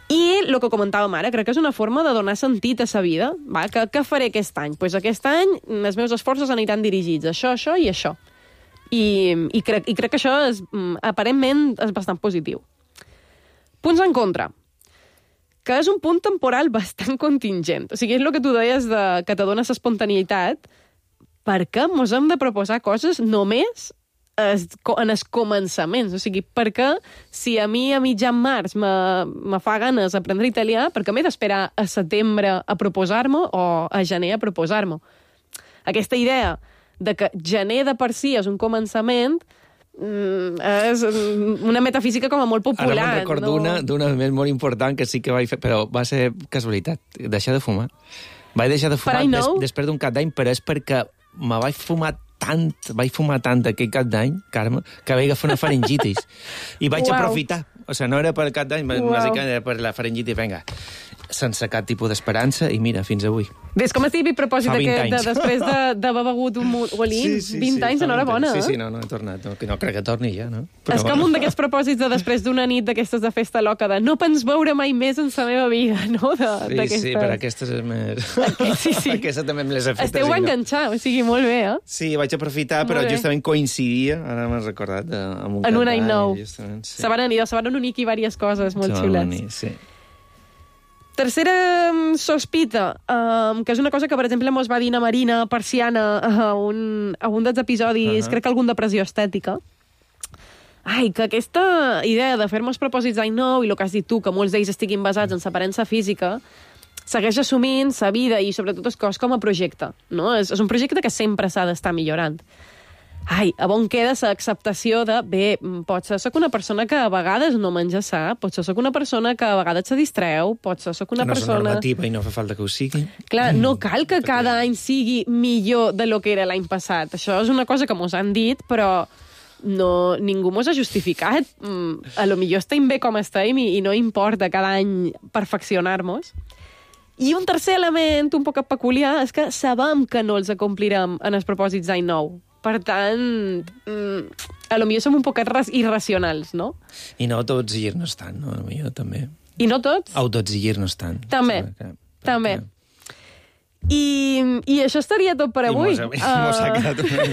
I el que comentàvem ara, crec que és una forma de donar sentit a la vida. Va, que, què faré aquest any? Pues aquest any els meus esforços aniran dirigits a això, això i això. I, i, crec, i crec que això és, aparentment és bastant positiu. Punts en contra, que és un punt temporal bastant contingent. O sigui, és el que tu deies de, que te dona l'espontaneïtat, perquè mos hem de proposar coses només es, en els començaments. O sigui, perquè si a mi a mitjan març me, me fa ganes aprendre italià, perquè m'he d'esperar a setembre a proposar-m'ho o a gener a proposar-m'ho. Aquesta idea de que gener de per si és un començament Mm, és una metafísica com a molt popular. Ara me'n recordo no? una d'una més molt important que sí que vaig fer, però va ser casualitat, deixar de fumar. Vaig deixar de fumar des, després d'un cap d'any, però és perquè me vaig fumar tant, vaig fumar tant aquell cap d'any, Carme, que vaig agafar una faringitis. I vaig Uau. aprofitar. O sigui, no era per cap d'any, bàsicament era per la faringitis. Vinga, sense cap tipus d'esperança, i mira, fins avui. Ves com estic propòsit aquest, de, després de, d'haver begut un molí, sí, sí, vint sí, anys, enhorabona. Sí, eh? sí, no, no he tornat. No, no crec que torni ja, no? Però... És com un d'aquests propòsits de després d'una nit d'aquestes de festa loca, de no pens veure mai més en la meva vida, no? De, sí, sí, però aquestes és més... Aquest, sí, sí. Aquesta també me les he fet. Esteu enganxats, o sigui, molt bé, eh? Sí, vaig aprofitar, però justament coincidia, ara m'has recordat, de, amb un en un any nou. Sí. Se van unir, se van unir aquí diverses coses molt xulets. Sí. Tercera sospita, um, que és una cosa que, per exemple, mos va dir na Marina Persiana a un, a un dels episodis, uh -huh. crec que algun de pressió estètica. Ai, que aquesta idea de fer-nos propòsits d'any nou, i el que has dit tu, que molts d'ells estiguin basats en l'aparença física, segueix assumint sa vida i, sobretot, el cos com a projecte. No? És, és un projecte que sempre s'ha d'estar millorant. Ai, a on queda l'acceptació de, bé, potser sóc una persona que a vegades no menja sa, potser sóc una persona que a vegades se distreu, potser sóc una que no persona... és normativa i no fa falta que ho sigui. Clar, no cal que cada any sigui millor de lo que era l'any passat. Això és una cosa que mos han dit, però no, ningú mos ha justificat. A lo millor estem bé com estem i, i no importa cada any perfeccionar-nos. I un tercer element un poc peculiar és que sabem que no els acomplirem en els propòsits d'any nou. Per tant, a lo millor som un poc irracionals, no? I no autoexigir-nos tant, no? A lo millor també. I no tots? Autoexigir-nos tant. També, que, també. I, I això estaria tot per avui. I mos, uh... mos ha quedat una...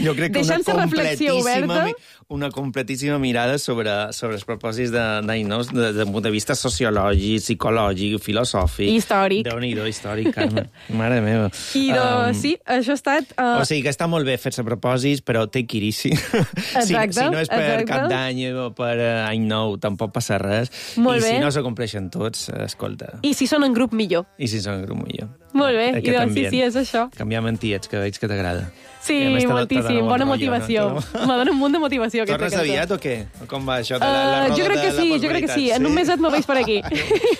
Jo crec que una completíssima, una completíssima mirada sobre, sobre els propòsits d'any nou des del punt de vista sociològic, psicològic, filosòfic. Històric. Déu-n'hi-do, històric, Carme. Mare meva. I do, um... sí, això ha estat... Uh... O sigui que està molt bé fer-se propòsits, però take it easy. Exacte, si, si no és per exacte. cap d'any o per uh, any nou, tampoc passa res. Molt I bé. si no s'acompleixen tots, escolta. I si són en grup, millor. I si són en grup, millor. Molt bé, i doncs sí, sí, és això. Canviar mentiets, que veig que t'agrada. Sí, moltíssim, bona motivació. Me dona un munt de motivació aquesta cançó. Tornes aviat o què? Com va això de la, uh, la roda jo crec que de sí, la jo crec que sí. En un meset me veig per aquí.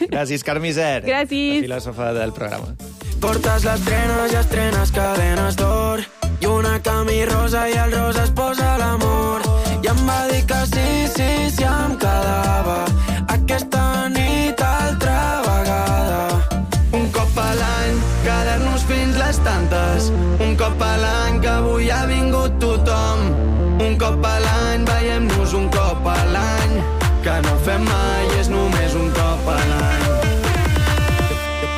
Gràcies, Carme Isern. Gràcies. La filòsofa del programa. Portes les trenes i estrenes cadenes d'or i una camí rosa i el rosa es posa a l'amor. I em va dir que sí, sí, sí em quedava aquesta nit altra vegada. Un cop a l'any, quedar-nos fins les tantes. Un cop no fem mai, és només un cop a l'any.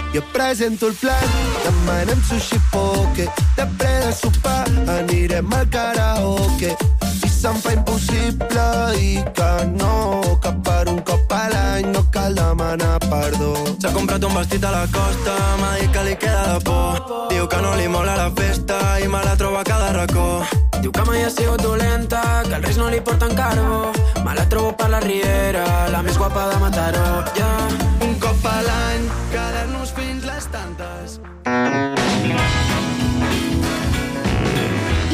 Jo presento el plan, demanem sushi poke, després de sopar anirem al karaoke. I se'm fa impossible dir que no, que per un cop a l'any no cal demanar perdó. S'ha comprat un vestit a la costa, m'ha dit que li queda de por. Diu que no li mola la festa i me la troba a cada racó. Diu que mai ha sigut dolenta, que el risc no li porta en carbó. Me la trobo per la riera, la més guapa de Mataró. Yeah. Un cop a l'any, quedar-nos fins les tantes.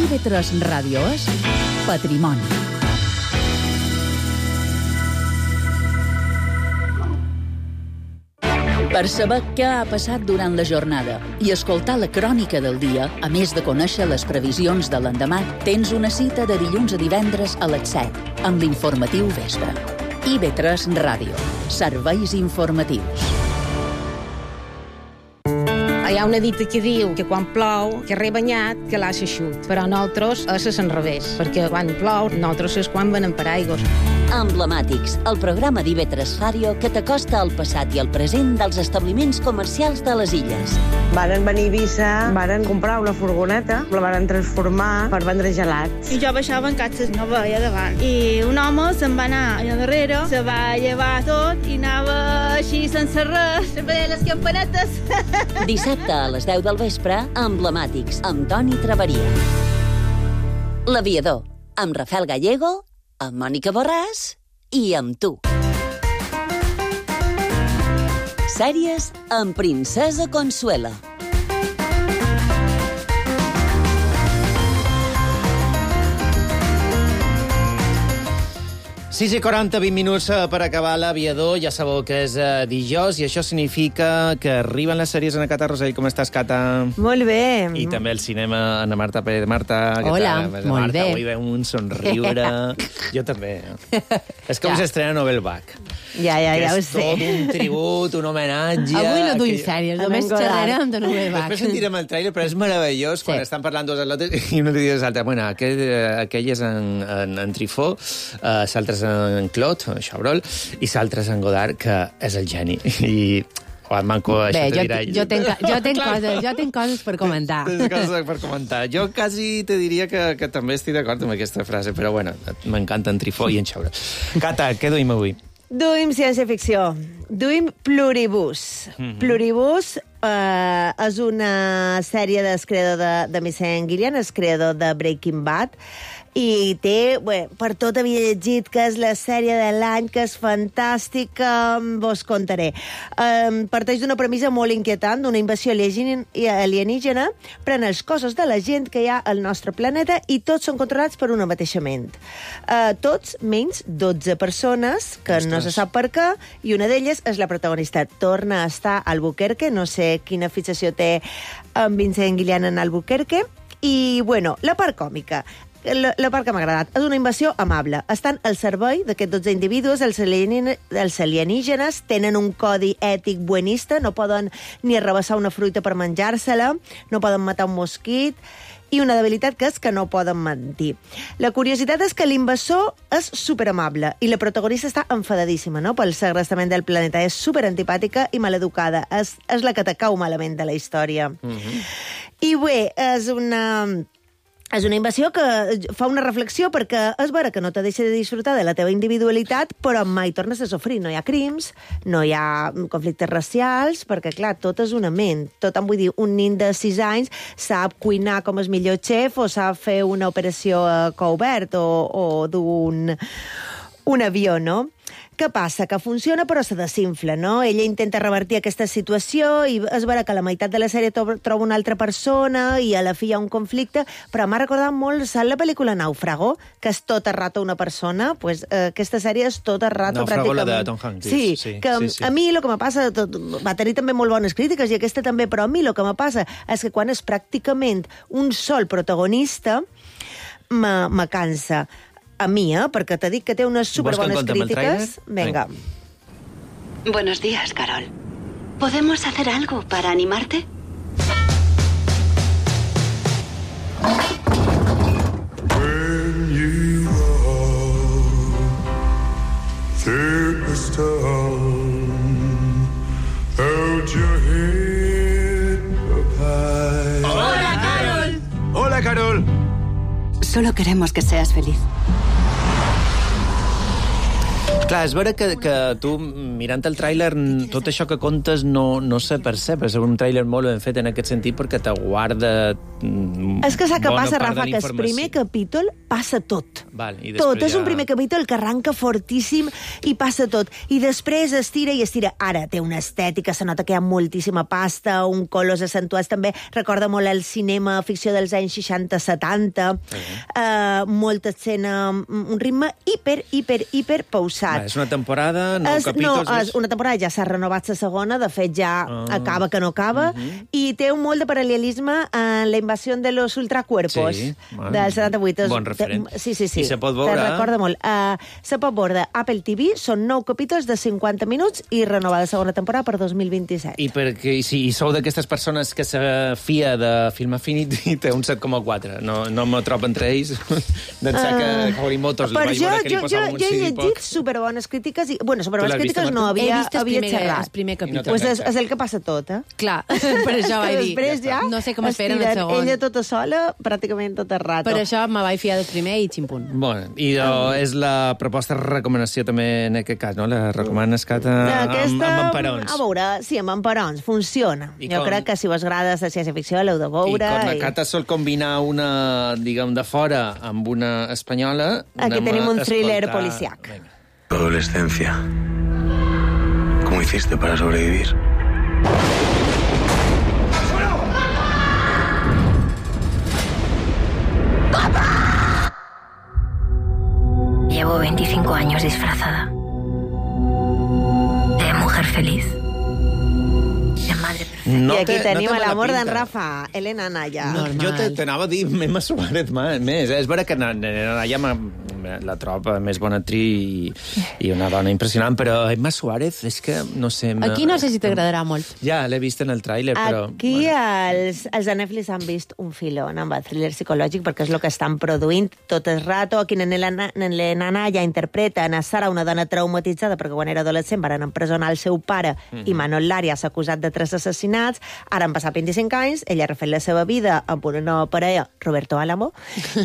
I V tres Ràdio és Patrimoni. Per saber què ha passat durant la jornada i escoltar la crònica del dia, a més de conèixer les previsions de l'endemà, tens una cita de dilluns a divendres a les set, amb l'informatiu Vespre. I V tres Ràdio. Serveis informatius. Hi ha una dita que diu que quan plou, que re banyat, que l'ha xut. Però nosaltres és a l'enrevés, perquè quan plou, nosaltres és quan venem per aigües. Emblemàtics, el programa d'I V tres Ràdio que t'acosta al passat i al present dels establiments comercials de les illes. Varen venir a Eivissa, varen comprar una furgoneta, la varen transformar per vendre gelats. I jo baixava en catxes, no veia davant. I un home se'n va anar allà darrere, se va llevar tot i anava així sense res, sempre les campanetes. Dissabte a les deu del vespre, Emblemàtics, amb Toni Traveria. L'Aviador, amb Rafael Gallego, amb Mònica Borràs i amb tu. Sèries amb Princesa Consuela. sis i quaranta, vint minuts per acabar l'Aviador. Ja sabeu que és uh, dijous i això significa que arriben les sèries en Cata Rosell. Com estàs, Cata? Molt bé. I també el cinema, Ana Marta Pérez. Marta, què Hola, tal? molt Marta, bé. Avui veu un somriure. Jo també. És com Ja. s'estrena Nobel Bach. Ja, ja, ja ho És sé. tot un tribut, un homenatge... Avui no duim que- sèries, Anem només godant. xerrarem de Nobel Bach. Després sentirem el tràiler, però és meravellós quan Sí. estan parlant dos atletes i un li diu a l'altre, bueno, aquell, eh, aquell és en, en, en Trifó, uh, l'altre és en Clot, en Chabrol, i l'altre és en Godard, que és el geni. I... O el manco, això Bé, te jo, dirà ell. jo, tenc, jo, tenc Clar. coses, jo tenc coses per comentar. Tens coses per comentar. Jo quasi te diria que, que també estic d'acord amb aquesta frase, però bueno, m'encanta en Trifó i en Chabrol. Cata, què duim avui? Duim ciència-ficció. Duim Pluribus. Mhm. Pluribus eh, és una sèrie del creador de, de Missing Gillian, el creador de Breaking Bad, i té, bé, per tot havia llegit que és la sèrie de l'any, que és fantàstica, vos contaré. Um, parteix d'una premissa molt inquietant, d'una invasió alien- alienígena, pren els cossos de la gent que hi ha al nostre planeta i tots són controlats per una mateixa ment. Uh, tots menys dotze persones, que no se sap per què, i una d'elles és la protagonista. Torna a estar a Albuquerque, no sé quina fixació té en Vincent Gillian en Albuquerque, i, bueno, la part còmica. La, la part que m'ha agradat. És una invasió amable. Estan al servei d'aquests dotze individus, els, alienígenes, els alienígenes tenen un codi ètic buenista, no poden ni arrabassar una fruita per menjar-se-la, no poden matar un mosquit, i una debilitat que és que no poden mentir. La curiositat és que l'invasor és superamable i la protagonista està enfadadíssima, no?, pel segrestament del planeta. És superantipàtica i maleducada. És, és la que te cau malament de la història. Mm-hmm. I bé, és una... És una invasió que fa una reflexió perquè és vera que no te deixa de disfrutar de la teva individualitat, però mai tornes a sofrir. No hi ha crims, no hi ha conflictes racials, perquè, clar, tot és una ment. Tot, em vull dir, un nin de sis anys sap cuinar com el millor xef o sap fer una operació a cou obert o, o d'un un avió, no? Què passa? Que funciona però se desinfla, no? Ella intenta revertir aquesta situació i és vera que a la meitat de la sèrie troba una altra persona i a la fi hi ha un conflicte, però m'ha recordat molt, saps la pel·lícula Náufrago, que és tot el rato una persona? Pues, eh, aquesta sèrie és tot el rato Náufrago, pràcticament. la de Tom Hanks. Sí, Sí, que sí, sí. a mi el que me passa, tot, va tenir també molt bones crítiques i aquesta també, però a mi el que me passa és que quan és pràcticament un sol protagonista me, me cansa. A mi, eh? Perquè t'he dit que té unes superbones crítiques. Venga. Buenos días, Carol. ¿Podemos hacer algo para animarte? When you are this town. Hold your head up high. ¡Hola, Carol! Hola, Carol. Solo queremos que seas feliz. Clar, és vera que, que tu, mirant el tràiler, tot això que contes no, no se percep. És un tràiler molt ben fet en aquest sentit perquè te guarda És que sap què passa, Rafa, que el primer capítol passa tot. Val, i tot, ja... és un primer capítol que arranca fortíssim i passa tot. I després estira i estira. Ara té una estètica, se nota que hi ha moltíssima pasta, un colors accentuats també. Recorda molt el cinema ficció dels anys seixanta setanta. Uh-huh. Uh, molta escena, un ritme hiper, hiper, hiper pausat. Va, és una temporada, nou és, capítols... No, és una temporada, ja s'ha renovat la segona, de fet ja ah. acaba que no acaba, uh-huh. i té un molt de paral·lelisme en la invasió de los ultracuerpos sí, bueno, del setanta-vuit. Bon referent. Sí, sí, sí. I se pot veure... Te recorda molt. Uh, se pot veure Apple T V, són nou capítols de cinquanta minuts i renovada segona temporada per dos mil vint-i-set. I perquè si sou d'aquestes persones que se fia de Film Affinity, té un set coma quatre. No, no me trobo entre ells. D'ençà uh, que Horimotos li vaig veure que li posava un jo he llegit llegit superbones crítiques i... Bueno, superbones crítiques no, havia, havia xerrat. El primer capítol. Pues és, és el que passa tot, eh? Clar, per això vaig dir. Després ja, no sé com esperen el segon. Ella tota sola, pràcticament tot el rato. Per això me vaig fiar del primer i ximpunt. Bueno, i oh, és la proposta recomanació també en aquest cas, no? La recomanes, Cata, Aquesta, amb, amb emperons. A veure, sí, amb emperons, funciona. I jo com... crec que si vos agrada la ciència-ficció l'heu de veure. I quan la i... Cata sol combinar una, diguem, de fora amb una espanyola... Aquí tenim un thriller policiac. Tu adolescencia. ¿Cómo hiciste para sobrevivir? Llevo veinticinco años disfrazada. De mujer feliz. De madre perfecta. No I aquí te, tenim no l'amor d'en Rafa, Elena Naya. No, jo t'anava a dir Emma Suárez més. És vera que Elena Naya la troba més bona actriu i, i una dona impressionant, però Emma Suárez és que, no sé... Aquí no sé si t'agradarà molt. Ja, l'he vist en el tràiler, però... Aquí bueno. els, els de Netflix han vist un filón amb el thriller psicològic perquè és el que estan produint tot el rato. Aquí l'Elena Naya interpreta a Sara, una dona traumatitzada perquè quan era adolescent van empresonar el seu pare mm-hmm. i Manol Lària s'ha acusat de tres assassinats. Ara han passat vint-i-cinc anys, ella ha refet la seva vida amb una nova parella, Roberto Álamo,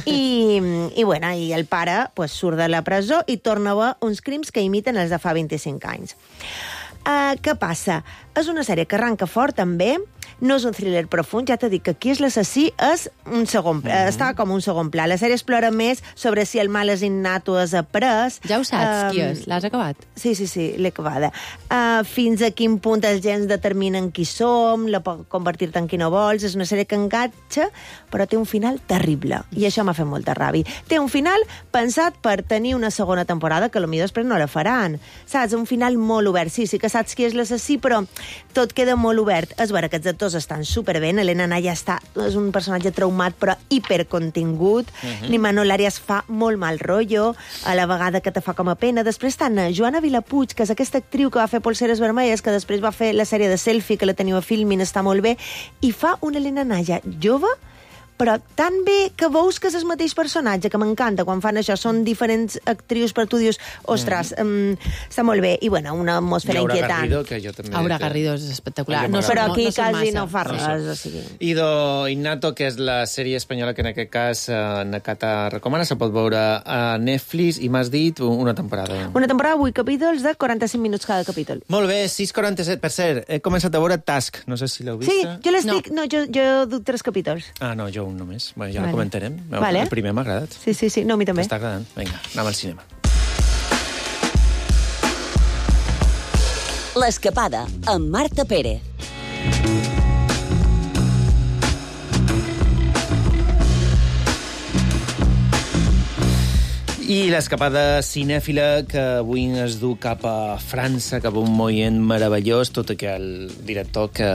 i, i, bueno, i el pare pues, surt de la presó i torna a veure uns crims que imiten els de fa vint-i-cinc anys. Uh, què passa? És una sèrie que arranca fort, també. No és un thriller profund, ja t'he dit que aquí és l'assassí, és un segon pla, mm-hmm. està com un segon pla. La sèrie explora més sobre si el mal és innat o és après. Ja ho saps, um, qui és? L'has acabat? Sí, sí, sí, l'he acabada. Uh, fins a quin punt els gens determinen qui som, la pot convertir-te en qui no vols. És una sèrie que enganxa, però té un final terrible. I això m'ha fet molta ràbia. Té un final pensat per tenir una segona temporada, que potser després no la faran. Saps? Un final molt obert. Sí, sí que saps qui és l'assassí, però tot queda molt obert. És vera que els actors estan superben. Elena Naya està, és un personatge traumat, però hipercontingut. Uh-huh. Ni Manol Lària es fa molt mal rotllo, a la vegada que te fa com a pena. Després estan Joana Vilapuig, que és aquesta actriu que va fer Polseres Vermelles, que després va fer la sèrie de Selfie, que la teniu a Filmin, està molt bé, i fa una Elena Naya jove, però tan bé que veus que és el mateix personatge, que m'encanta quan fan això, són diferents actrius, però tu dius, ostres, mm. um, està molt bé, i bueno, una atmosfera Aura inquietant. Garrido, que jo també... Aura Garrido és espectacular. No, però aquí no, no quasi no fa res. No o sigui. Ido Innato, que és la sèrie espanyola que en aquest cas eh, Nakata recomana, se pot veure a Netflix, i m'has dit una temporada. Una temporada, vuit capítols de quaranta-cinc minuts cada capítol. Molt bé, sis quaranta-set. Per cert, he començat a veure Task, no sé si l'heu vist. Sí, jo l'estic... No, no jo, jo duc tres capítols. Ah, no, jo un només. Bueno, ja vale. La comentarem. Vale. El primer m'ha agradat. Sí, sí, sí. No, a mi també. M'està agradant. Vinga, anem al cinema. L'escapada, amb Marta Pérez. I l'escapada cinèfila que avui es du cap a França, cap a un moviment meravellós, tot i que el director que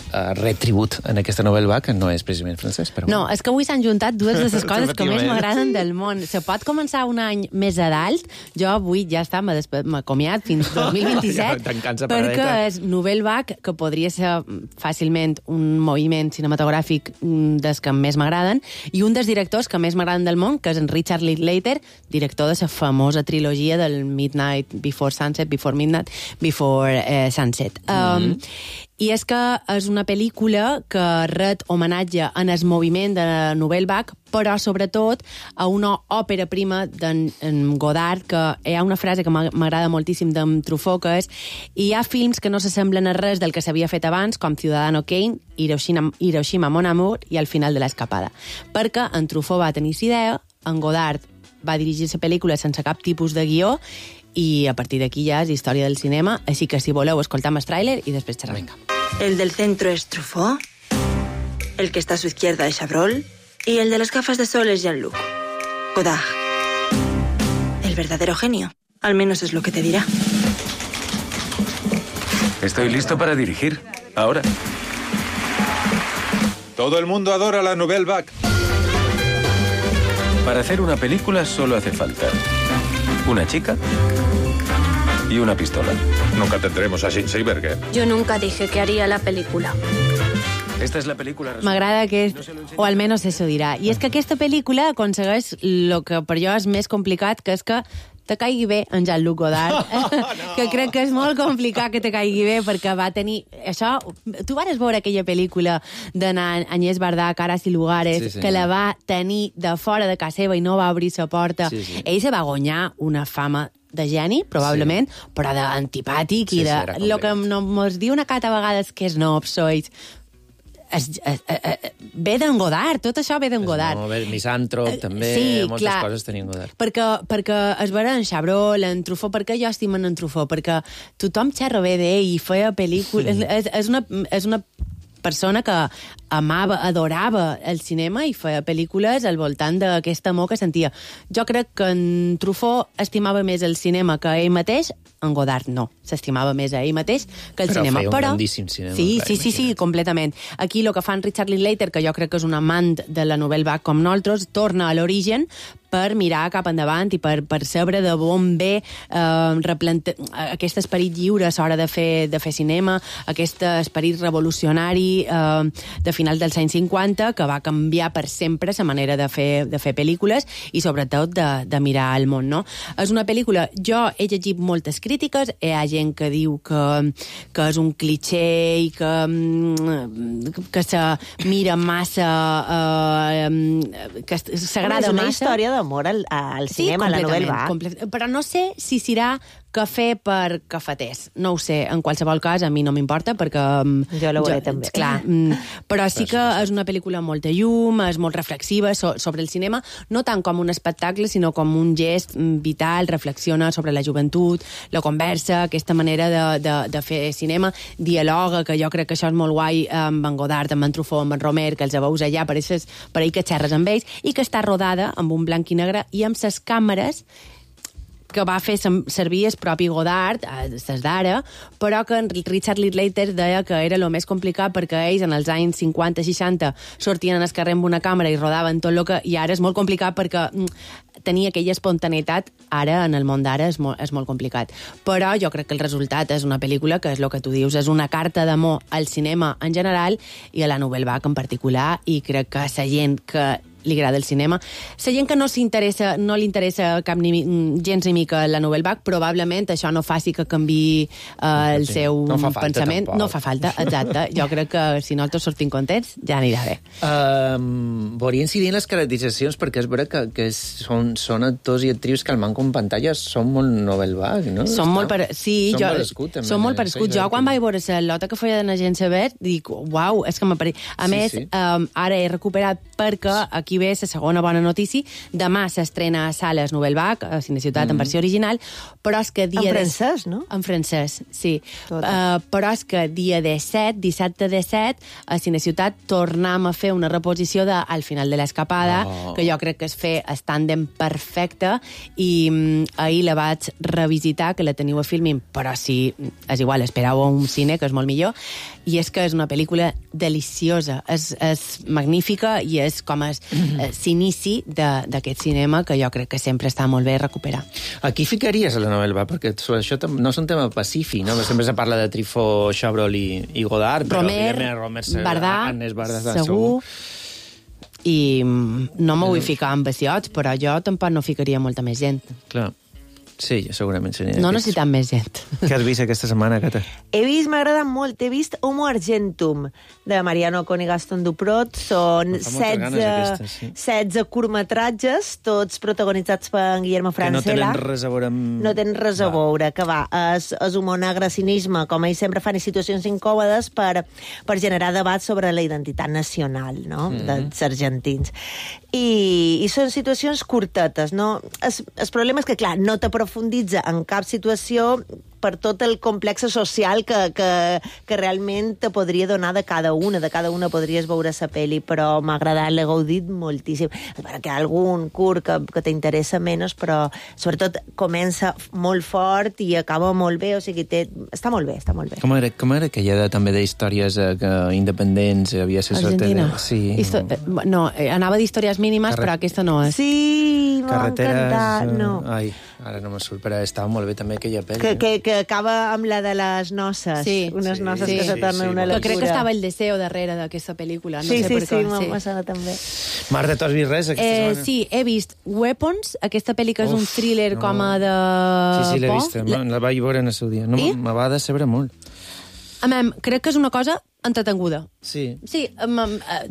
ha retribut en aquesta novel·la, que no és precisament francès, però... No, és que avui s'han juntat dues de les coses que més m'agraden del món. Se pot començar un any més a dalt. Jo avui ja està, m'he acomiat fins dos mil vint-i-set, ja perquè és novel·la vague, que podria ser fàcilment un moviment cinematogràfic dels que més m'agraden, i un dels directors que més m'agraden del món, que és en Richard Linklater, director de la famosa trilogia del Midnight Before Sunset, Before Midnight, Before eh, Sunset. Um, mm-hmm. I és que és una pel·lícula que ret homenatge en el moviment de Nouvelle Vague, però sobretot a una òpera prima d'en Godard, que hi ha una frase que m'agrada moltíssim d'en Truffaut, que és: hi ha films que no s'assemblen a res del que s'havia fet abans, com Ciudadano Kane, Hiroshima, Hiroshima Mon Amour i El final de l'escapada. Perquè en Truffaut va tenir idea, en Godard va dirigir la pel·lícula sense cap tipus de guió, i a partir d'aquí ja és història del cinema, així que si voleu escoltam el tràiler i després xerrem. El del centro es Truffaut, el que está a su izquierda es Chabrol y el de las gafas de sol es Jean-Luc Godard. El verdadero genio, al menos es lo que te dirá. Estoy listo para dirigir, ahora. Todo el mundo adora la Nouvelle Vague. Para hacer una película solo hace falta una chica y una pistola. Nunca tendremos a Schindler, ¿eh? Yo nunca dije que haría la película. Esta és la pel·lícula... M'agrada que... O almenys eso dirà. I és que aquesta pel·lícula aconsegueix el que per jo és més complicat, que és que te caigui bé en Jean-Luc Godard, no. que crec que és molt complicat que te caigui bé, perquè va tenir... Això, tu vas veure aquella pel·lícula d'Agnès Varda, Caras y Lugares, sí, sí, que la va tenir de fora de casa seva i no va obrir la porta. Sí, sí. Ell se va guanyar una fama de geni, probablement, sí. però d'antipàtic sí, i de... Sí, el que no, mos diu una cata a vegades que és nobs, sois... Es, es, es, ve d'en Godard, tot això ve d'en Godard. No, ve misàntrop, també, sí, moltes clar, coses tenien Godard. Perquè, perquè es veure en Chabrol, en Truffaut, perquè jo estimo en Truffaut, perquè tothom xerra bé d'ell i feia pel·lícules... Mm. És, és, una, és una persona que amava, adorava el cinema i feia pel·lícules al voltant d'aquest amor que sentia. Jo crec que en Truffaut estimava més el cinema que ell mateix, en Godard no. S'estimava més a ell mateix que el però cinema. Feia un però grandíssim cinema. Sí, clar, sí, sí, sí, completament. Aquí el que fan Richard Linklater, que jo crec que és un amant de la Nouvelle Vague com nosaltres, torna a l'origen per mirar cap endavant i per, per saber de on ve eh, replante... aquest esperit lliure a l'hora de fer, de fer cinema, aquest esperit revolucionari eh, de final dels anys cinquanta, que va canviar per sempre la manera de fer, de fer pel·lícules i sobretot de, de mirar el món, no? És una pel·lícula... Jo he llegit moltes crítiques, hi ha gent que diu que, que és un cliché i que, que se mira massa... Eh, que s'agrada massa. És una història d'amor al, al cinema, sí, a la Nouvelle Vague. Però no sé si serà cafè per cafeters. No ho sé, en qualsevol cas, a mi no m'importa, perquè... Jo la veuré també. Clar, però sí que és una pel·lícula amb molta llum, és molt reflexiva so, sobre el cinema, no tant com un espectacle, sinó com un gest vital, reflexiona sobre la joventut, la conversa, aquesta manera de, de, de fer cinema, dialoga, que jo crec que això és molt guai amb en Godard, amb en Truffaut, amb en Romer, que els veus allà, per això per ahir que xerres amb ells, i que està rodada amb un blanc i negre i amb ses càmeres que va fer servir el propi Godard, des d'ara, però que Richard Linklater deia que era el més complicat perquè ells en els anys cinquanta seixanta sortien al carrer amb una càmera i rodaven tot el que... I ara és molt complicat perquè tenia aquella espontaneïtat, ara, en el món d'ara, és, molt, és molt complicat. Però jo crec que el resultat és una pel·lícula que és el que tu dius, és una carta d'amor al cinema en general i a la Nouvelle Vague en particular, i crec que la gent que li agrada el cinema. La gent que no s'interessa, no li interessa cap ni, gens ni mica la Nouvelle Vague, probablement això no faci que canviï eh, el sí. seu no pensament. Tampoc. No fa falta, exacte. Jo crec que si nosaltres sortim contents, ja anirà bé. Um, volia incidir en les caracteritzacions, perquè és veritat que, que són, són actors i actrius que al manco en pantalla són molt Nouvelle Vague, no? Són molt per... Sí, són jo... parescut, també. Són molt parescuts. Jo, quan vaig veure la lota que feia de l'agent Sever, dic, uau, és que m'apareix... A sí, més, sí. Um, ara he recuperat perquè aquí ve la segona bona notícia. Demà s'estrena a sales Nouvelle Vague, a Cineciutat, mm. en versió original, però és que dia... En francès, no? En francès, sí. Uh, però és que dia disset, dissabte disset, a Cineciutat tornem a fer una reposició de Al final de l'escapada, oh. que jo crec que es fer el tàndem perfecte, i um, ahir la vaig revisitar, que la teniu a Filmin, però sí, és igual, esperau un cine, que és molt millor, i és que és una pel·lícula deliciosa, és, és magnífica i és com es, mm-hmm. s'inici d'aquest cinema que jo crec que sempre està molt bé recuperar. Aquí ficaries a la Nouvelle Vague, perquè això no és un tema pacífic, no? Sempre se parla de Truffaut, Chabrol i, i Godard, Romer, però Romer, Varda, Agnès Varda, segur. i no me vull ficar amb vaciots, però jo tampoc no ficaria molta més gent. Clar. Sí, segurament seria. No necessitem més gent. Què has vist aquesta setmana, Cata? He vist, m'ha agradat molt, he vist Homo Argentum, de Mariano Con i Gaston Duprot. Són setze, sí. setze curtmetratges, tots protagonitzats per Guillermo Francella. Que no tenen res a veure amb... No tenen res a veure, que va, és, és humor negre, cinisme, com ells sempre fan, i situacions incòmodes per, per generar debat sobre la identitat nacional, no?, mm -hmm. dels argentins. I, i són situacions curtetes, no? Es, el problema és que, clar, no t'aprofunditza en cap situació per tot el complex social que, que, que realment te podria donar de cada una. De cada una podries veure la pel·li, però m'ha agradat, l'he gaudit moltíssim. Perquè hi ha algun curt que, que t'interessa menys, però sobretot comença molt fort i acaba molt bé, o sigui, té, està molt bé, està molt bé. Com era, com era aquella de, també d'històries eh, que independents havia ser Argentina? De... Sí. Histo... No, eh, anava d'històries mínimes, Carre... però aquesta no és. Sí, m'ha encantat, no. Ai, ara no me surt, però estava molt bé també aquella pel·li. Que, que, que acaba amb la de les noces. Sí. Unes sí, noces sí, que se tornen sí, sí, una locura. Que crec que estava el deseo darrere d'aquesta pel·lícula. No sí, sé sí, per sí, què. sí, m'ha sona també. Marta, tu has vist res aquesta eh, setmana? Sí, he vist Weapons, aquesta pel·li que és Uf, un thriller no. com a de... Sí, sí, l'he por. vista. La... la vaig veure en el seu dia. No, I? me va decebre molt. A mi, crec que és una cosa entretenguda. Sí. Sí, de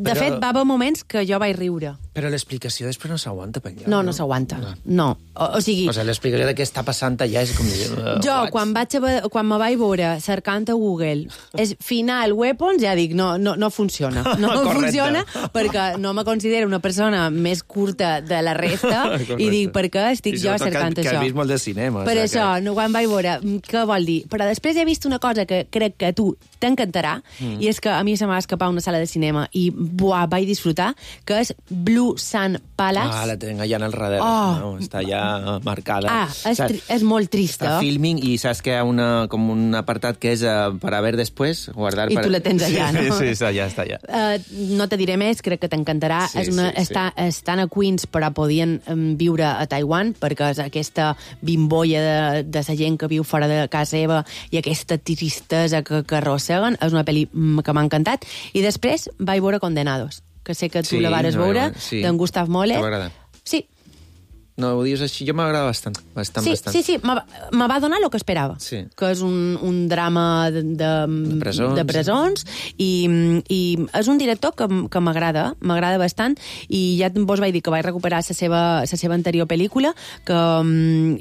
Però... fet, va haver moments que jo vaig riure. Però l'explicació després no s'aguanta per allà. No, no, no s'aguanta. No. no. O, o sigui... O sigui, l'explicació de què està passant allà és com... Uh, jo, what? quan, vaig a, quan me vaig veure cercant a Google és final Weapons, ja dic, no, no, no funciona. No funciona perquè no me considero una persona més curta de la resta i dic, per què estic I jo cercant que, això? Que he vist molt de cinema. Per o sigui això, que... no, quan vaig veure, què vol dir? Però després he vist una cosa que crec que a tu t'encantarà, mm. i és que a mi se m'ha escapat una sala de cinema i buah, vaig disfrutar, que és Blue Sun Palace. Ah, la tenc allà en el darrere. Oh. No, està ja marcada. Ah, és, tri és molt trista. Està filming i saps que hi ha una, com un apartat que és uh, per a ver després, guardar... I per... tu la tens allà, sí, no? Sí, sí, està allà, està allà. Uh, no te diré més, crec que t'encantarà. Sí, és una, sí, sí. està, estan a Queens, però podien um, viure a Taiwan, perquè és aquesta bimbolla de, de la gent que viu fora de casa seva i aquesta tristesa que, que arrosseguen. És una pel·li que m'ha encantat. I després vaig veure Condenados, que sé que tu sí, la vares no, veure, sí. d'en Gustav Mahler. T'agrada? Sí. No, ho dius així, jo m'agrada bastant. bastant, sí, bastant. sí, sí, me va donar el que esperava. Sí. Que és un, un drama de, de, de presons, de presons i, i és un director que, que m'agrada, m'agrada bastant, i ja vos vaig dir que vaig recuperar la seva, la seva anterior pel·lícula, que,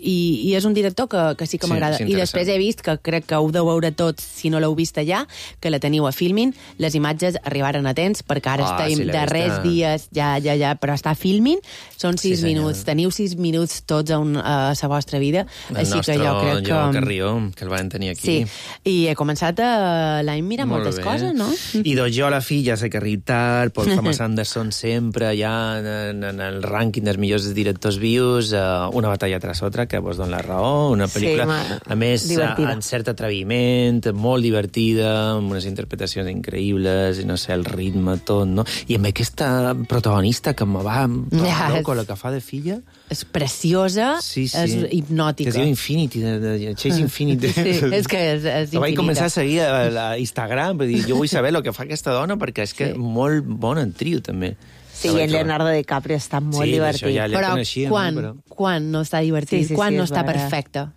i, i és un director que, que sí que m'agrada. Sí, I després he vist, que crec que ho deu veure tots si no l'heu vist allà, que la teniu a Filmin, les imatges arribaren a temps, perquè ara Ah, estem sí, darrers vista. dies, ja, ja, ja, però està a Filmin, són sis Sí, minuts, teniu sis minuts tots a, un, a la vostra vida, El així nostre que jo crec que... Joan Carrió, que el van tenir aquí. Sí, i he començat a l'any mirar Molt moltes bé. coses, no? I doncs jo, la filla, sé que arriba tard, Paul Thomas Anderson sempre ja en, en el rànquing dels millors directors vius, uh, una batalla tras otra, que vos dona la raó, una pel·lícula, Sí, ma, a més, divertida. en cert atreviment, molt divertida, amb unes interpretacions increïbles, i no sé, el ritme, tot, no? I amb aquesta protagonista que me va Ja, loco, és- la que fa de filla... És preciosa, Sí, sí. és hipnòtica. Que es diu Infinity, de, de Chase Infinity. Sí, és que és, és Ho vaig infinita. començar a seguir a, a Instagram, per dir, jo vull saber el que fa aquesta dona, perquè és que Sí. molt bona en trio, també. Sí, i en Leonardo DiCaprio està molt Sí, divertit. això ja l'he Però coneixia, quan, no? Però... quan no està divertit, Sí, sí, quan sí, no és està vera. perfecte.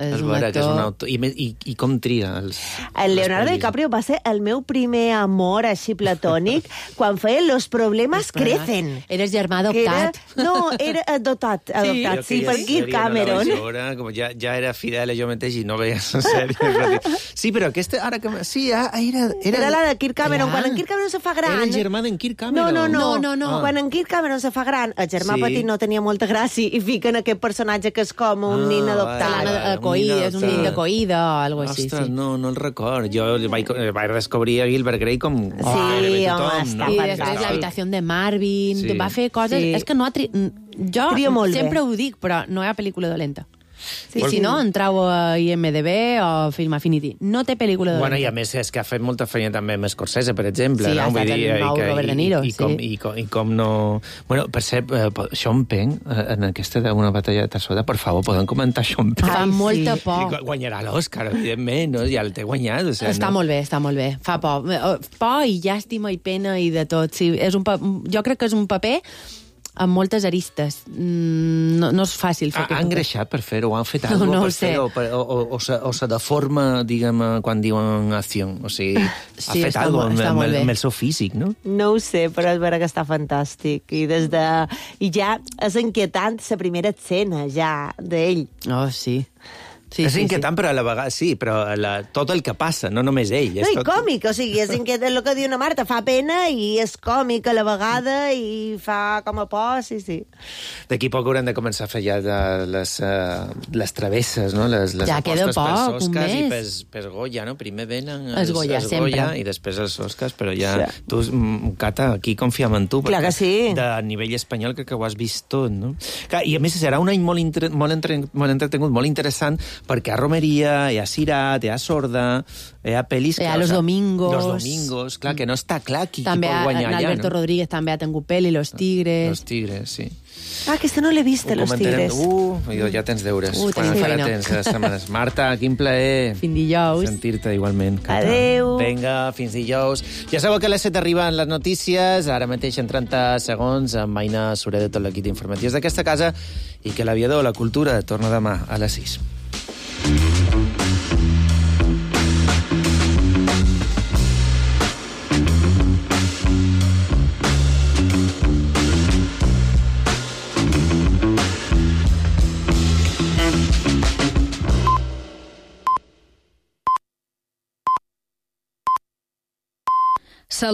És És un vera, que és actor... un autor... I, me- i, i com tria els... El les Leonardo pel·lis. DiCaprio va ser el meu primer amor així platònic quan feia Los problemas crecen. Eres germà Que era, adoptat. no, era adoptat, adoptat sí, sí per Kirk Cameron. Veure, com ja, ja era fidel a jo mateix i no veia la sèrie. Sí, però aquesta... Ara que... Sí, ah, era... Era, Era la de Kirk Cameron. Clar. Quan en Kirk Cameron se fa gran... Era el germà d'en Kirk No, Cameron. no, no. No, no, no. Ah. Quan en Kirk Cameron se fa gran, el germà Sí. petit no tenia molta gràcia i fiquen aquest personatge que és com un Ah, nin vale, adoptat. vale. L'Anna Acoïda, és un nin d'acoïda o algo així. Ostres, Sí. no, no el record. Jo vaig, vaig descobrir a Gilbert Grey com Sí, gairebé home, tothom, està no? I fantàstic. després l'habitació de Marvin, Sí. va fer coses... Sí. És que no ha... Tri... Jo Trio molt bé. sempre ho dic, però no hi ha pel·lícula dolenta. Sí, si no, entrau a I M D B o Film Affinity. No té pel·lícula de... Bueno, i a més és que ha fet molta feina també amb Scorsese, per exemple. Sí, no? ha estat el nou Robert De Niro, i, i, com, sí. i, com, I com no... Bueno, per cert, eh, Sean Penn, en aquesta d'una batalla de Tarsota, per favor, poden comentar Sean Penn? Fa molta por. I guanyarà l'Òscar, evidentment, no? Ja el té guanyat. O sigui, està no? molt bé, està molt bé. Fa por. Por i llàstima i pena i de tot. Sí, és un pa... Jo crec que és un paper amb moltes aristes. No, no és fàcil fer ha, Han greixat per fer-ho? Han fet alguna cosa no per fer-ho? O, o, o, se, o se deforma, diguem, quan diuen acció? O sigui, sí, ha fet alguna cosa amb, amb, amb el seu físic, no? No ho sé, però és vera que està fantàstic. I, des de... I ja és inquietant la primera escena, ja, d'ell. Oh, sí. Sí, és sí, inquietant, sí. Però a la vegada sí, però la, tot el que passa, no només ell. No, és i tot... còmic, o sigui, és inquietant el que diu una Marta, fa pena i és còmic a la vegada i fa com a por, sí, sí. D'aquí poc haurem de començar a fer ja de les, uh, les travesses, no? Les, les ja queda apostes poc, pels Oscars i un pels, pels Goya, no? Primer venen els, es Goya, els sempre. Goya i després els Oscars, però ja... Sí. Tu, Cata, aquí confiem en tu. Clar que sí. De nivell espanyol crec que ho has vist tot, no? Clar, i a més serà un any molt, inter... molt, entre... molt entretengut, molt interessant, perquè a Romeria, hi ha Cirat, hi ha Sorda, hi ha pel·lis... Hi ha Los Domingos. Los Domingos, clar, que no està clar qui, també qui pot guanyar allà, allà, Alberto no? Rodríguez també ha tingut pel·li, Los Tigres... Los Tigres, sí. Ah, aquesta no l'he vista, Los Tigres. Uh, ja tens deures. Uh, Quan encara tens les setmanes. Marta, quin plaer. Fins dijous. Sentir-te igualment. Cata. Adeu. Vinga, fins dijous. Ja sabeu que a les set arriben les notícies, ara mateix en trenta segons, amb Aina Soler de tot l'equip d'informatius d'aquesta casa, i que l'aviador, la cultura, torna demà a les sis.